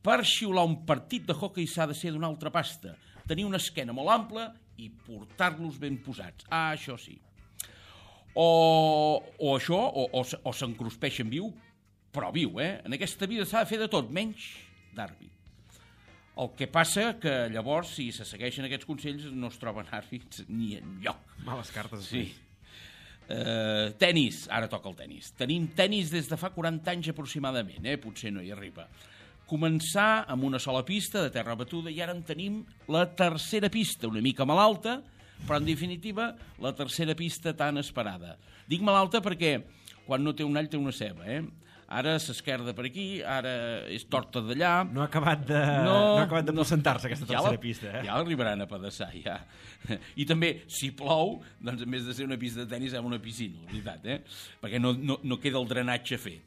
Per xiular un partit de hoquei s'ha de ser d'una altra pasta, tenir una esquena molt ampla i portar-los ben posats. Això sí. O s'encruspeixen viu, però viu, En aquesta vida s'ha de fer de tot, menys d'àrbit. El que passa que llavors, si se segueixen aquests consells, no es troben àrbits ni enlloc. Males cartes. Sí. Tenis, ara toca el tenis. Tenim tenis des de fa 40 anys aproximadament, potser no hi arriba. Començar amb una sola pista de terra batuda i ara en tenim la tercera pista, una mica malalta, però en definitiva la tercera pista tan esperada. Dic malalta perquè quan no té un all té una ceba, Ara s'esquerda per aquí, ara és torta d'allà. No ha acabat de presentar-se aquesta tercera pista, Ja l'arribaran a pedaçar, ja. I també, si plou, doncs en vez de ser una pista de tenis, és una piscina, la veritat, Perquè no queda el drenatge fet.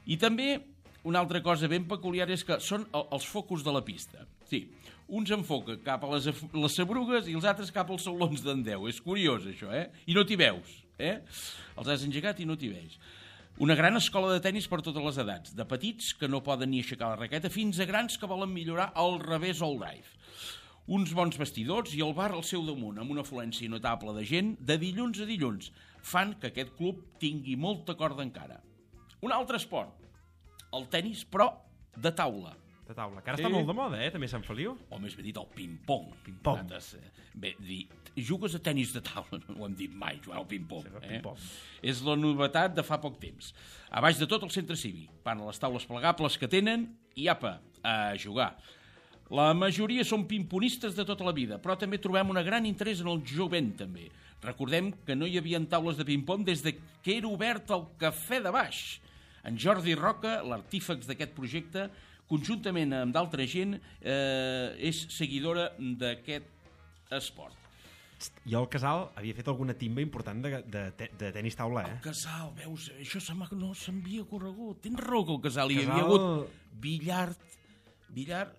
I també, una altra cosa ben peculiar és que són els focus de la pista. Sí, uns enfoquen cap a les sabrugues i els altres cap als saulons d'en Déu. És curiós, això, I no t'hi veus, Els has engegat i no t'hi veus. Una gran escola de tenis per totes les edats, de petits que no poden ni aixecar la raqueta fins a grans que volen millorar el revés o el drive. Uns bons vestidors i el bar al seu damunt, amb una afluència notable de gent de dilluns a dilluns, fan que aquest club tingui molta corda encara. Un altre esport, el tenis, però de taula. De taula, que ara està molt de moda, també Sant Feliu. O més ben dit, el ping-pong. Ping-pong. Bé, jugues a tenis de taula, no ho hem dit mai, jugar al ping-pong. Sí, ping-pong. És la novetat de fa poc temps. A baix de tot el centre cívic, van a les taules plegables que tenen i apa, a jugar. La majoria són pimponistes de tota la vida, però també trobem un gran interès en el jovent, també. Recordem que no hi havia taules de ping-pong des que era obert el Cafè de Baix. En Jordi Roca, l'artífex d'aquest projecte, conjuntament amb d'altra gent, és seguidora d'aquest esport. Jo al Casal havia fet alguna timba important de tenis taula, El Casal, veus, això no s'havia corregut. Tens raó que el Casal hi havia Casal- hagut billar...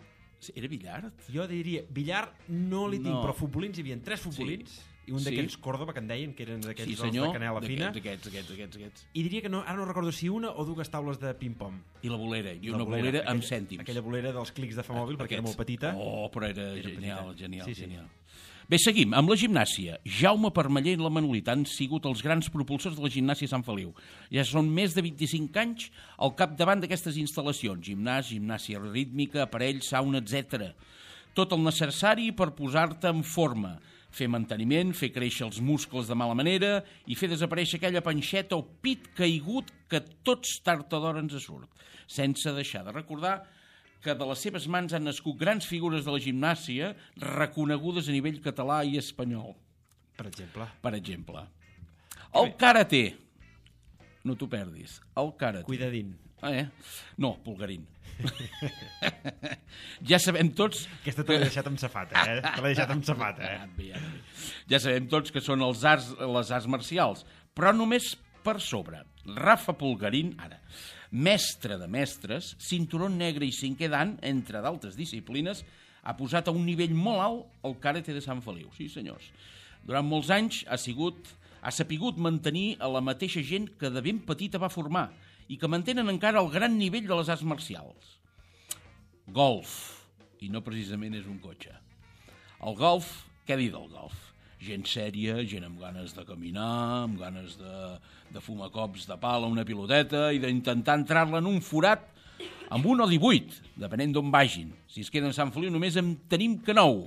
Era billard? Jo diria, billar no li tinc, No. però futbolins hi havia 3 futbolins, i un Sí. d'aquells Córdoba, que en deien, que eren d'aquells Sí, de senyor. canela fina, Aquests. i diria que no, ara no recordo si una o dues taules de ping-pong. I la bolera, i una bolera amb cèntims. Aquella bolera dels clics de Famòbil, perquè era molt petita. Oh, però era petita. genial. Sí. Bé, seguim. Amb la gimnàsia. Jaume Permeller i la Manolita han sigut els grans propulsors de la gimnàsia a Sant Feliu. Ja són més de 25 anys al capdavant d'aquestes instal·lacions. Gimnàsia rítmica, aparells, sauna, etc. Tot el necessari per posar-te en forma. Fer manteniment, fer créixer els muscles de mala manera i fer desaparèixer aquella panxeta o pit caigut que tots tard o d'hora ens surt. Sense deixar de recordar que de les seves mans han nascut grans figures de la gimnàsia reconegudes a nivell català i espanyol. Per exemple. Per exemple. El karate. No t'ho perdis. El karate. Cuidadín. No, pulgarín. Ja sabem tots... Aquesta te l'he deixat amb safata, Te l'he deixat amb safata, Ja sabem tots que són les arts marcials, però només per sobre. Rafa Pulgarín, ara, mestre de mestres, cinturó negre i cinquè dan, entre d'altres disciplines, ha posat a un nivell molt alt el karate de Sant Feliu. Sí, senyors. Durant molts anys ha sapigut mantenir a la mateixa gent que de ben petita va formar i que mantenen encara el gran nivell de les arts marcials. Golf, i no precisament és un cotxe. El golf, què dir del golf? Gent sèria, gent amb ganes de caminar, amb ganes de fumar cops de pal a una piloteta i d'intentar entrar-la en un forat amb 1 o 18, depenent d'on vagin. Si es queden a Sant Feliu només en tenim que 9.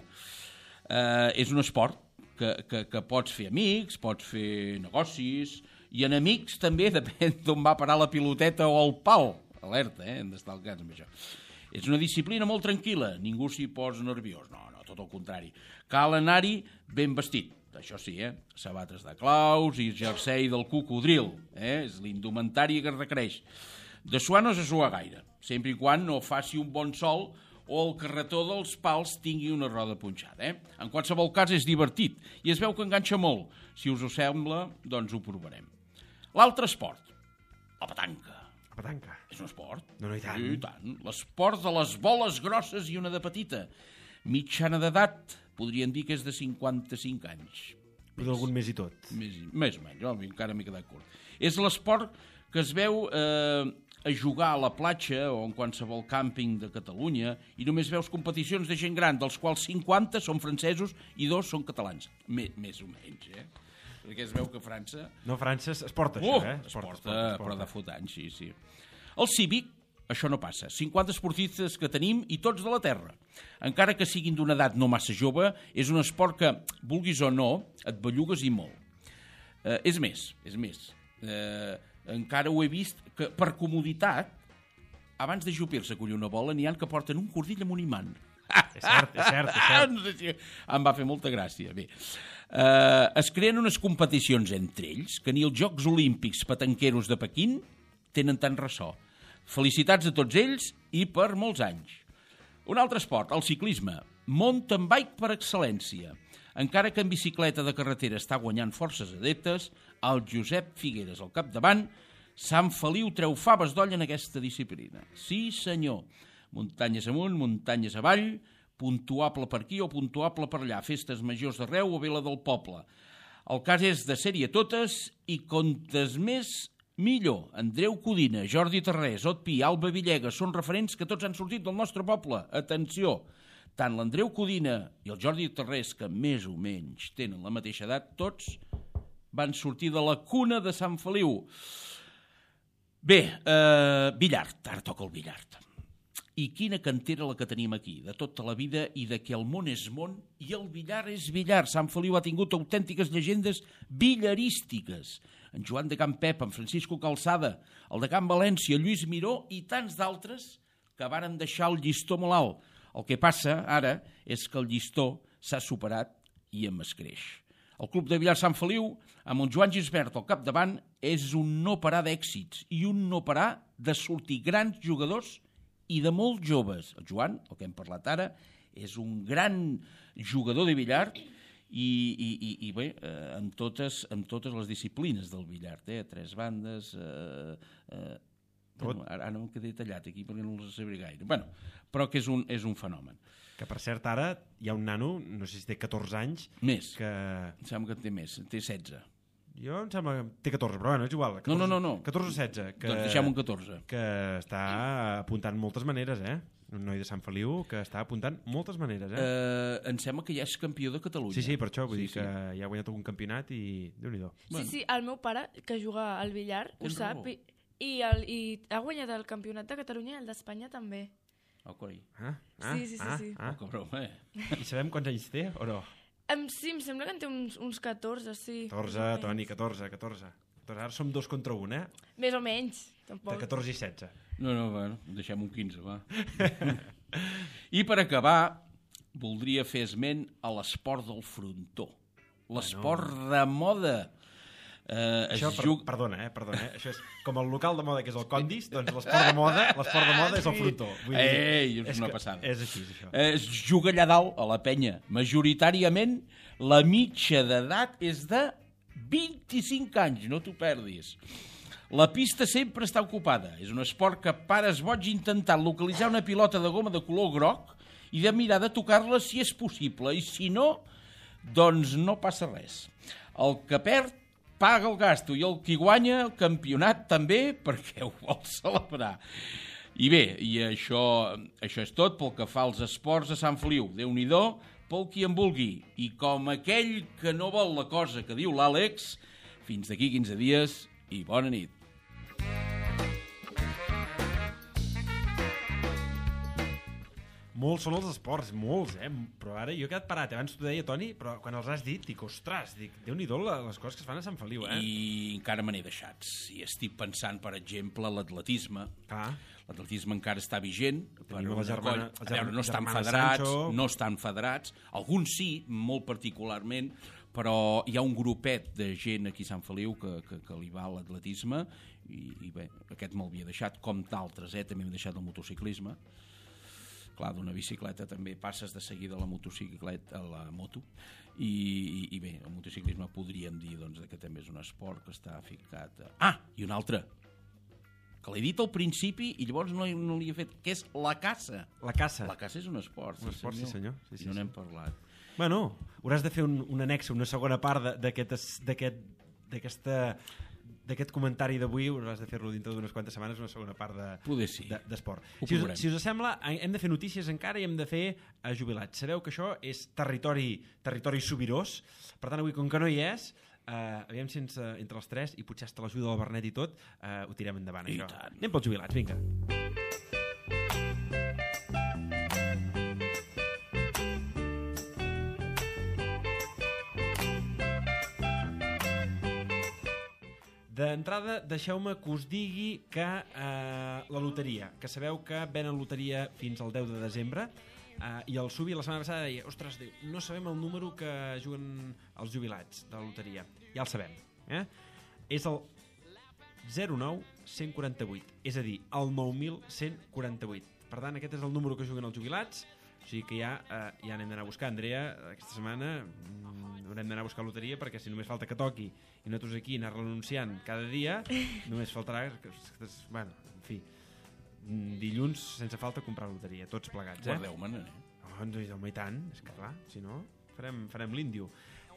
És un esport que pots fer amics, pots fer negocis, i enemics també, depèn d'on va parar la piloteta o el pal. Alerta, hem d'estar al cas amb això. És una disciplina molt tranquil·la, ningú s'hi posa nerviós. No, tot el contrari. Cal anar-hi ben vestit, això sí, sabates de claus i jersei del cocodril, és l'indumentària que es requereix. De suar no se sua gaire, sempre i quan no faci un bon sol o el carretó dels pals tingui una roda punxada. En qualsevol cas és divertit i es veu que enganxa molt. Si us ho sembla, doncs ho provarem. L'altre esport, la petanca. La petanca. És un esport? No, i tant. I tant. L'esport de les boles grosses i una de petita. Mitjana d'edat, podríem dir que és de 55 anys. Però d'algun més i tot. Més o menys, encara m'he quedat curt. És l'esport que es veu a jugar a la platja o en qualsevol càmping de Catalunya i només veus competicions de gent gran, dels quals 50 són francesos i 2 són catalans. Més o menys, Perquè es veu que França... No, França es porta això, Es porta, però de fot anys, sí. El cívic, això no passa. 50 esportistes que tenim i tots de la terra. Encara que siguin d'una edat no massa jove, és un esport que, vulguis o no, et bellugues i molt. És més. Encara ho he vist que, per comoditat, abans de jupir-se a collir una bola, n'hi ha que porten un cordill amb un imant. És cert. No sé si em va fer molta gràcia. Bé, es creen unes competicions entre ells que ni els Jocs Olímpics petanqueros de Pequín tenen tant ressò. Felicitats a tots ells i per molts anys. Un altre esport, el ciclisme. Mountain bike per excel·lència. Encara que en bicicleta de carretera està guanyant forces adeptes, el Josep Figueres al capdavant, Sant Feliu treu faves d'olla en aquesta disciplina. Sí, senyor. Muntanyes amunt, muntanyes avall, puntuable per aquí o puntuable per allà, festes majors d'arreu o vela del poble. El cas és de sèrie totes i contes més, millor. Andreu Codina, Jordi Tarrés, Ot Pi, Alba Villegas són referents que tots han sortit del nostre poble. Atenció, tant l'Andreu Codina i el Jordi Tarrés, que més o menys tenen la mateixa edat, tots van sortir de la cuna de Sant Feliu. Bé, billard, ara toca el billard. I quina cantera la que tenim aquí, de tota la vida i de que el món és món i el billar és billar. Sant Feliu ha tingut autèntiques llegendes billarístiques. En Joan de Can Pep, en Francisco Calçada, el de Can València, Lluís Miró i tants d'altres que varen deixar el llistó molt alt. El que passa ara és que el llistó s'ha superat i em escreix. El Club de Billar Sant Feliu, amb el Joan Gisbert al capdavant, és un no parar d'èxits i un no parar de sortir grans jugadors i de molt joves. El Joan, el que hem parlat ara, és un gran jugador de billar i bé, amb totes les disciplines del billar, 3 bandes... Bueno, ara no em quedé tallat aquí perquè no els sabré gaire. Bueno, però que és un fenomen. Que, per cert, ara hi ha un nano, no sé si té 14 anys... Més. Que... Em sembla que en té més, en té 16. Jo em sembla que té 14, però bueno, és igual. 14, no. 14 o 16. Que, doncs deixem un 14. Que està apuntant moltes maneres, Un noi de Sant Feliu que està apuntant moltes maneres, Em sembla que ja és campió de Catalunya. Sí, per això, vull dir que ja ha guanyat algun campionat i Déu-n'hi-do. Sí, el meu pare, que juga al billar, ho sap, i ha guanyat el campionat de Catalunya i el d'Espanya també. Oh, coi. Sí. Oh, cabró, I sabem quants anys té o no? Sí, em sembla que en té uns 14, sí. 14, Toni, 14. Ara som 2 contra 1, Més o menys, tampoc. De 14 i 16. No, bueno, deixem un 15, va. I per acabar, voldria fer esment a l'esport del frontó. L'esport de moda. Això, perdona, això és com el local de moda que és el Condis, doncs l'esport de moda és el frontó. És una passada. És així, això. Es juga allà dalt, a la penya. Majoritàriament, la mitja d'edat és de 25 anys, no t'ho perdis. La pista sempre està ocupada. És un esport que pares boig intentant localitzar una pilota de goma de color groc i de mirar de tocar-la si és possible. I si no, doncs no passa res. El que perd paga el gasto i el qui guanya el campionat també perquè ho vol celebrar. I bé, i això és tot pel que fa als esports a Sant Feliu. Déu-n'hi-do, pel qui en vulgui. I com aquell que no vol la cosa que diu l'Àlex, fins d'aquí 15 dies i bona nit. Molts són els esports, molts, però ara jo he quedat parat. Abans t'ho deia, Toni, però quan els has dit, dic, ostres, Déu-n'hi-do les coses que es fan a Sant Feliu, I encara me n'he deixat. I estic pensant, per exemple, l'atletisme. L'atletisme encara està vigent. No estan federats. Alguns sí, molt particularment, però hi ha un grupet de gent aquí a Sant Feliu que li va a l'atletisme i bé, aquest me'l havia deixat, com d'altres, també m'he deixat el motociclisme. Clar, d'una bicicleta també passes de seguida a la motocicleta, a la moto, i bé, el motociclisme podríem dir que també és un esport que està ficat... I un altre, que l'he dit al principi i llavors no li he fet, que és la caça. La caça. La caça és un esport. Un esport, sí senyor. No n'hem parlat. Bueno, hauràs de fer un annex, una segona part d'aquest comentari d'avui, hauràs de fer-lo dintre d'unes quantes setmanes, una segona part d'esport. Si us sembla, hem de fer notícies encara i hem de fer jubilats. Sabeu que això és territori sobirós, per tant avui com que no hi és, aviam si entre els tres, i potser hasta l'ajuda del Bernet i tot, ho tirem endavant, això. Anem pels jubilats, vinga. D'entrada, deixeu-me que us digui que la loteria, que sabeu que venen loteria fins al 10 de desembre, i el Subi la setmana passada deia, ostres, no sabem el número que juguen els jubilats de la loteria. Ja el sabem. És el 09-148, és a dir, el 9.148. Per tant, aquest és el número que juguen els jubilats, o sigui que ja n'hem d'anar a buscar. Andrea, aquesta setmana haurem d'anar a buscar loteria perquè si només falta que toqui i nosaltres aquí anar-la anunciant cada dia, només faltarà bueno, en fi, dilluns sense falta comprar loteria, tots plegats. Guardeu-me'n, Home, i tant, és que clar, si no farem l'índio.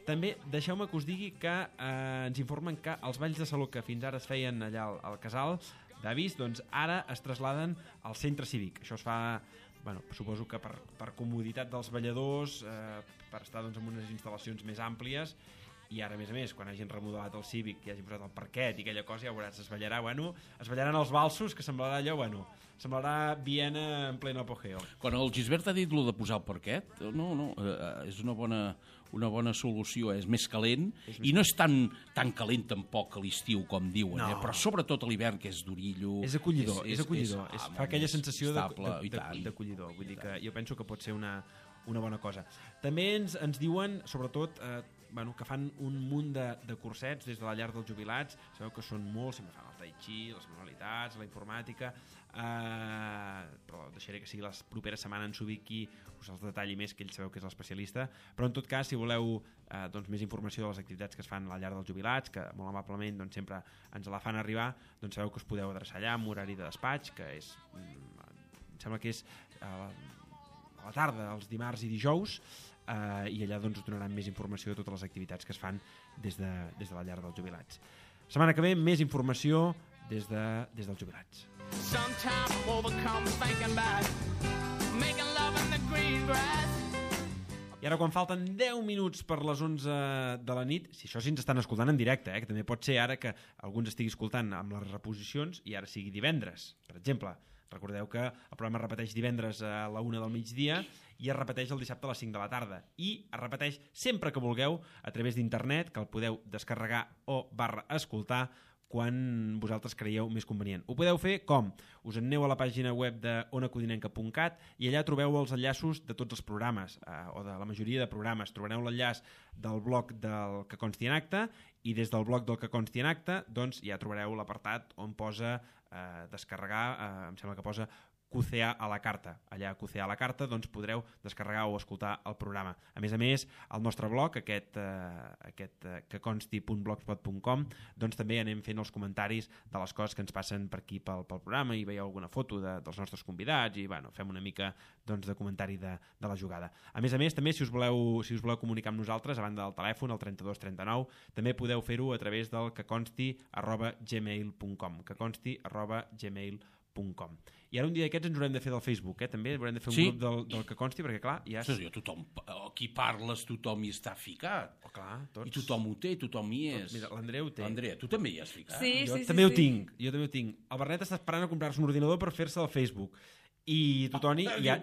També deixeu-me que us digui que ens informen que els balls de saló que fins ara es feien allà al casal d'Avis, doncs ara es trasladen al centre cívic. Això es fa, suposo que per comoditat dels balladors, per estar en unes instal·lacions més àmplies, i ara, a més, quan hagin remodelat el cívic i hagin posat el parquet i aquella cosa, ja veuràs, es ballaran els valsos, que semblarà allò, semblarà Viena en pleno apogeo. Quan el Gisbert ha dit lo de posar el parquet, no, és una bona solució, és més calent, i no és tan calent tampoc a l'estiu com diuen, però sobretot a l'hivern, que és d'orillo. És acollidor, fa aquella sensació d'acollidor, vull dir que jo penso que pot ser una bona cosa. També ens diuen, sobretot, que fan un munt de cursets des de la llar dels jubilats. Sabeu que són molts, sempre fan el tai chi, les manualitats, la informàtica, però deixaré que sigui la propera setmana en s'ubiqui, us els detalli més, que ell sabeu que és l'especialista. Però en tot cas, si voleu més informació de les activitats que es fan a la llar dels jubilats, que molt amablement sempre ens la fan arribar, doncs sabeu que us podeu adreçar allà amb horari de despatx, que és, em sembla que és a la tarda, els dimarts i dijous, i allà us donaran més informació de totes les activitats que es fan des de la llar dels jubilats. Setmana que ve, més informació des dels jubilats. I ara, quan falten 10 minuts per les 11 de la nit, si això sí ens estan escoltant en directe, que també pot ser ara que algú ens estigui escoltant amb les reposicions i ara sigui divendres, per exemple. Recordeu que el programa es repeteix divendres a la 1 del migdia i es repeteix el dissabte a les 5 de la tarda. I es repeteix sempre que vulgueu a través d'internet, que el podeu descarregar o /escoltar quan vosaltres creieu més convenient. Ho podeu fer com? Us aneu a la pàgina web de onacodinenca.cat i allà trobeu els enllaços de tots els programes, o de la majoria de programes. Trobareu l'enllaç del blog del Que Consti en Acte i des del blog del Que Consti en Acte doncs ja trobareu l'apartat on posa descarregar, em sembla que posa QCA a la carta. Allà a QCA a la carta doncs podreu descarregar o escoltar el programa. A més, el nostre blog, aquest queconsti.blogspot.com, doncs també anem fent els comentaris de les coses que ens passen per aquí pel programa i veieu alguna foto dels nostres convidats i fem una mica de comentari de la jugada. A més, també si us voleu comunicar amb nosaltres, a banda del telèfon, el 32 39, també podeu fer-ho a través del queconsti@gmail.com queconsti@gmail.com. I ara un dia d'aquests ens haurem de fer del Facebook, també haurem de fer un grup del Que Consti, perquè clar, ja... Tothom, aquí parles, tothom hi està ficat. Tots. I tothom ho té, tothom hi és. Mira, l'Andreu té. Andrea, tu també hi has ficat? Sí, jo també ho tinc. El Bernet està esperant a comprar-se un ordinador per fer-se del Facebook. I tu, Toni, hi ha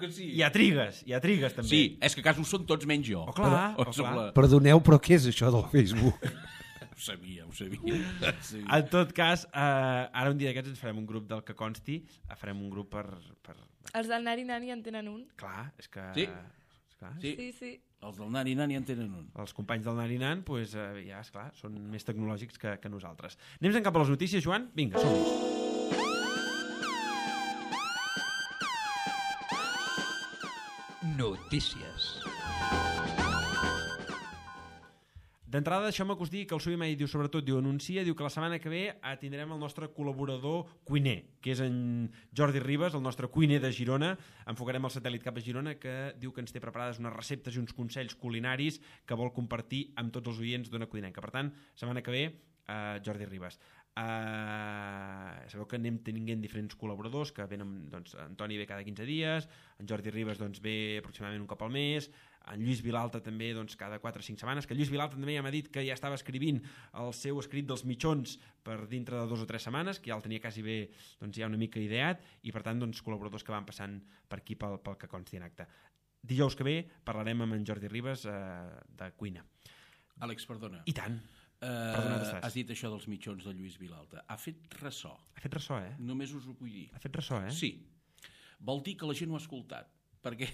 trigues també. Sí, és que a casa ho són tots menys jo. Clar. Perdoneu, però què és això del Facebook? Ho sabia. En tot cas, ara un dia d'aquests ens farem un grup del Que Consti, farem un grup per... Els del Nari Nani en tenen un. Clar, és que... Sí. Sí. Els del Nari Nani en tenen un. Els companys del Nari Nan, doncs, ja, esclar, són més tecnològics que nosaltres. Anem cap a les notícies, Joan? Vinga, som-hi. Notícies. D'entrada, deixeu-me que us digui que el Subi diu, sobretot, diu que la setmana que ve tindrem el nostre col·laborador cuiner, que és en Jordi Ribas, el nostre cuiner de Girona. Enfocarem el satèl·lit cap a Girona, que diu que ens té preparades unes receptes i uns consells culinaris que vol compartir amb tots els oients d'Ona Codinenca. Per tant, setmana que ve, Jordi Ribas. Sabeu que anem tenint diferents col·laboradors que venen, doncs, Antoni ve cada 15 dies, en Jordi Ribas ve aproximadament un cop al mes, en Lluís Vilalta també cada 4 o 5 setmanes, que Lluís Vilalta també ja m'ha dit que ja estava escrivint el seu escrit dels mitjons per dintre de 2 o 3 setmanes, que ja el tenia quasi bé ja una mica ideat, i per tant col·laboradors que van passant per aquí pel Que Consti en Acte. Dijous que ve parlarem amb en Jordi Ribas de cuina. Àlex, perdona. I tant. Has dit això dels mitjons de Lluís Vilalta. Ha fet ressò. Ha fet ressò, Només us ho vull dir. Ha fet ressò, Sí. Vol dir que la gent ho ha escoltat. Perquè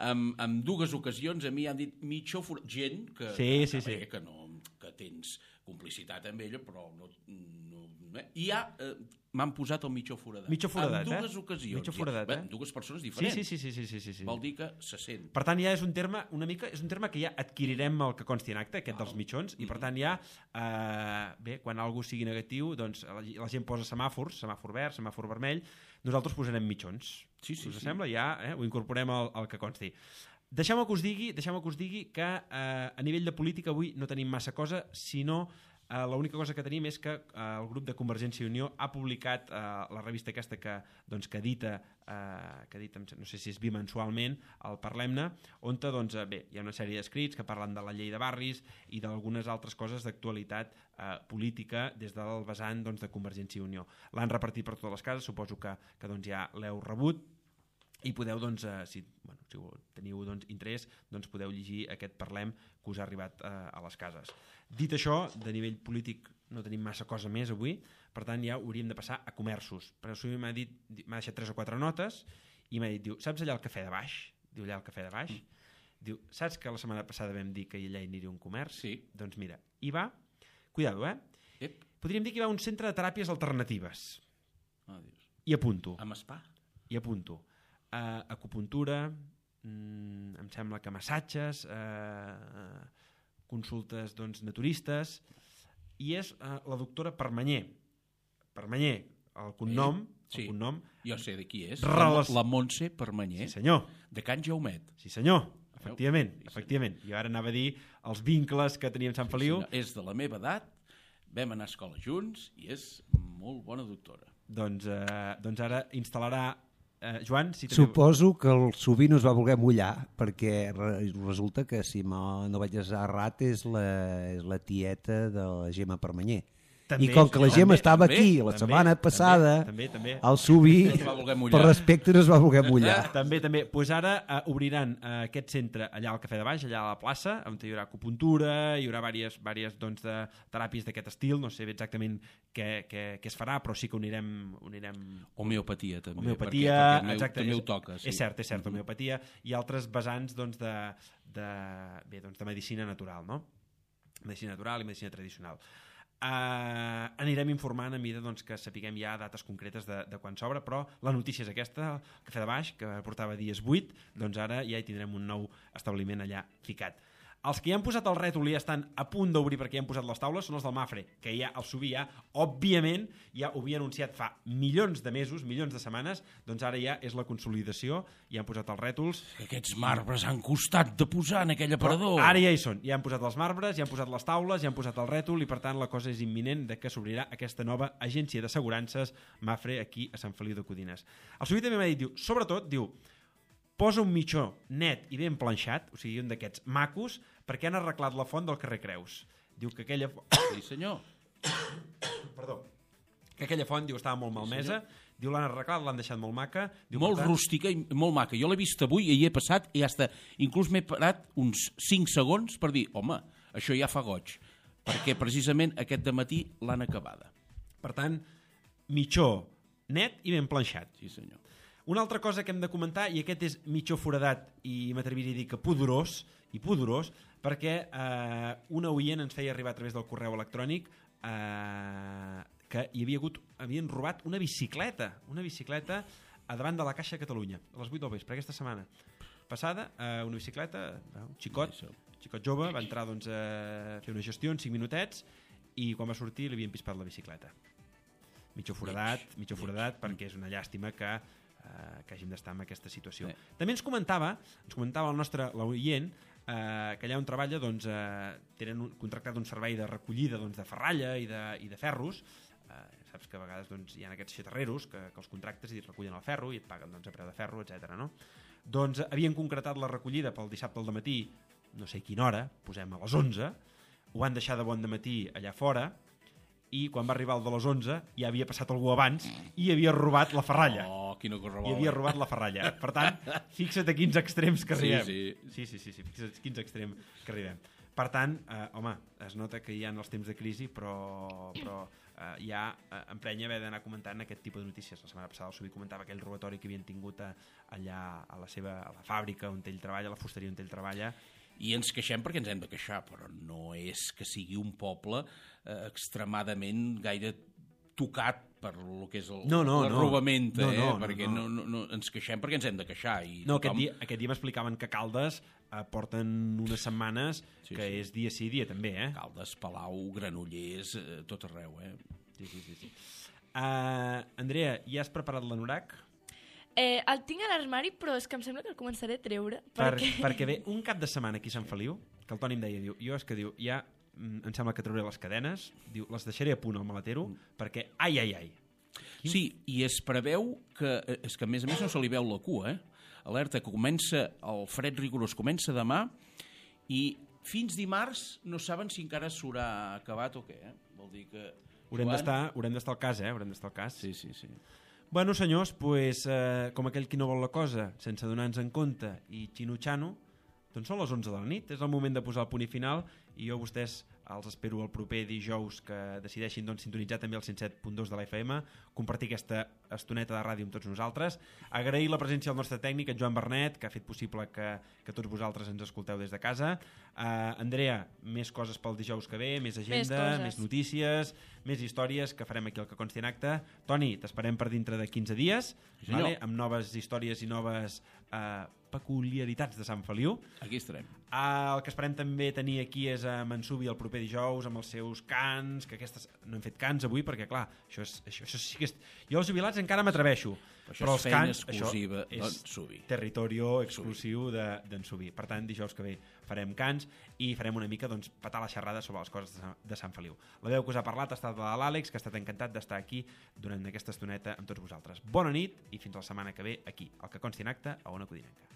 en 2 ocasions a mi han dit mitjó foradat. Gent que tens complicitat amb ella, però no i ja m'han posat el mitjó foradat. Mitjó foradat, en 2 ocasions. Mitjó foradat, En 2 persones diferents. Sí. Vol dir que se sent. Per tant, ja és un terme és un terme que ja adquirirem el Que Consti en Acte, aquest dels mitjons, i per tant ja, quan algú sigui negatiu, doncs la gent posa semàfors, semàfor verd, semàfor vermell, nosaltres posarem mitjons. Us sembla? Ja ho incorporem al Que Consti. Deixeu-me que us digui que a nivell de política avui no tenim massa cosa, sinó l'única cosa que tenim és que el grup de Convergència i Unió ha publicat la revista aquesta que edita, no sé si és bimensualment, el Parlem-ne, on hi ha una sèrie d'escrits que parlen de la llei de barris i d'algunes altres coses d'actualitat política des del vessant de Convergència i Unió. L'han repartit per totes les cases, suposo que ja l'heu rebut, i podeu, si teniu interès, podeu llegir aquest Parlem que us ha arribat a les cases. Dit això, de nivell polític no tenim massa cosa més avui, per tant ja hauríem de passar a comerços. Però el m'ha deixat 3 o 4 notes i m'ha dit, saps allà el cafè de baix? Diu allà el cafè de baix? Diu, saps que la setmana passada vam dir que allà hi aniria un comerç? Sí. Doncs mira, hi va, cuidado, podríem dir que hi va un centre de teràpies alternatives. Dios. I apunto. Amb spa? I apunto. Acupuntura, em sembla que massatges, consultes naturistes, i és la doctora Permanyer. Permanyer, el cognom... Sí, el cognom, jo sé de qui és. Relas... La Montse Permanyer. Sí, senyor. De Can Jaumet. Sí, senyor. Efectivament. Jo ara anava a dir els vincles que teníem Sant Feliu. Sí, és de la meva edat, vam anar a escola junts i és molt bona doctora. Doncs ara instal·larà Joan, si teniu... Suposo que el Subí no es va voler mullar, perquè resulta que, si no vaig errat, és la tieta de la Gemma Permanyer. També, i com que la Gemma estava aquí la setmana passada, també. el Subí, per respecte, no es va voler mullar. També. Pues ara obriran aquest centre allà al Cafè de Baix, allà a la plaça, on hi haurà acupuntura, hi haurà diverses de teràpies d'aquest estil, no sé exactament què es farà, però sí que unirem... Homeopatia, també. Homeopatia, exacte. També ho toca, sí. És cert, homeopatia i altres vessants de medicina natural, no? Medicina natural i medicina tradicional. Anirem informant a mida que sapiguem ja dates concretes de quan s'obre, però la notícia és aquesta, el Cafè de Baix, que portava dies 8, doncs ara ja hi tindrem un nou establiment allà ficat. Els que ja han posat el rètol i ja estan a punt d'obrir perquè ja han posat les taules són els del Mafre, que ja el Subí òbviament, ja ho havia anunciat fa milions de mesos, milions de setmanes, doncs ara ja és la consolidació, ja han posat els rètols. Aquests marbres han costat de posar en aquell aparador. Ara ja hi són, ja han posat els marbres, ja han posat les taules, ja han posat el rètol i per tant la cosa és imminent de que s'obrirà aquesta nova agència d'assegurances Mafre aquí a Sant Feliu de Codines. El Subí també m'ha dit, sobretot, posa un mitjó net i ben planxat, o sigui, un d'aquests macos, perquè han arreglat la font del carrer Creus. Diu que aquella... Sí, senyor. Perdó. Que aquella font, estava molt malmesa. Diu, l'han arreglat, l'han deixat molt maca. Molt rústica i molt maca. Jo l'he vist avui i hi he passat i inclús m'he parat uns 5 segons per dir, home, això ja fa goig. Perquè precisament aquest dematí l'han acabada. Per tant, mitjó net i ben planxat. Sí, senyor. Una altra cosa que hem de comentar, i aquest és mitjó foradat i m'atreviria a dir que pudorós, perquè una oient ens feia arribar a través del correu electrònic que havien robat una bicicleta a davant de la Caixa de Catalunya, a les 8 del vespre, aquesta setmana passada, una bicicleta, un xicot jove, va entrar a fer una gestió en 5 minutets i quan va sortir li havien pispat la bicicleta. Mitjó foradat, perquè és una llàstima que hàgim d'estar en aquesta situació. També ens comentava l'oient que allà on treballa tenen contractat un servei de recollida de ferralla i de ferros. Saps que a vegades hi ha aquests xatarreros que els contractes i et recullen el ferro i et paguen a preu de ferro, etc. Doncs havien concretat la recollida pel dissabte al dematí, no sé a quina hora, posem a les 11, ho van deixar de bon dematí allà fora i quan va arribar el de les 11 ja havia passat algú abans i havia robat la ferralla. Quina correbola. I havia robat la ferralla. Per tant, fixa't a quins extrems que arribem. Sí, fixa't a quins extrems que arribem. Per tant, home, es nota que hi ha els temps de crisi, però ja emprenya haver d'anar comentant aquest tipus de notícies. La setmana passada el Subí comentava aquell robatori que havien tingut allà a la fàbrica on ell treballa, a la fusteria on ell treballa. I ens queixem perquè ens hem de queixar, però no és que sigui un poble extremadament gaire tocat per el que és l'arrobamenta, perquè no, ens queixem perquè ens hem de queixar. Aquest dia m'explicaven que Caldes porten unes setmanes que és dia sí, dia també. Caldes, Palau, Granollers, tot arreu. Sí. Andrea, ja has preparat l'anorac? El tinc a l'armari, però és que em sembla que el començaré a treure. Perquè ve un cap de setmana aquí a Sant Feliu, que el Toni em deia, ja em sembla que trauré les cadenes, les deixaré a punt al maletero, perquè ai. Sí, i es preveu que, és que a més no se li veu la cua, alerta que comença, el fred rigorós comença demà i fins dimarts no saben si encara s'haurà acabat o què, vol dir que... Haurem d'estar al cas, haurem d'estar al cas. Sí. Bueno, senyors, com aquell qui no vol la cosa, sense donar-nos en compte i xino-xano, doncs són les 11 de la nit, és el moment de posar el punt i final i jo a vostès els espero el proper dijous, que decideixin doncs, sintonitzar també el 107.2 de la FM, compartir aquesta estoneta de ràdio amb tots nosaltres, agrair la presència del nostre tècnic, en Joan Bernet, que ha fet possible que tots vosaltres ens escolteu des de casa. Andrea, més coses pel dijous que ve, més agenda, més notícies, més històries que farem aquí al Que Consti en Acte. Toni, t'esperem per dintre de 15 dies, vale? Amb noves històries i noves peculiaritats de Sant Feliu. Aquí estarem. El que esperem també tenir aquí és a Mansubi el proper dijous amb els seus cants, que aquestes no hem fet cants avui perquè clar, això sí que és... Jo als jubilats encara m'atreveixo, però els cants exclusiva és territorio exclusiu d'en Subi. Per tant, dijous que ve farem cants i farem una mica doncs, petar la xerrada sobre les coses de Sant Feliu. La veu que us ha parlat ha estat de l'Àlex, que ha estat encantat d'estar aquí durant aquesta estoneta amb tots vosaltres. Bona nit i fins la setmana que ve aquí, al Que Consti en Acte, a Ona Codinenca.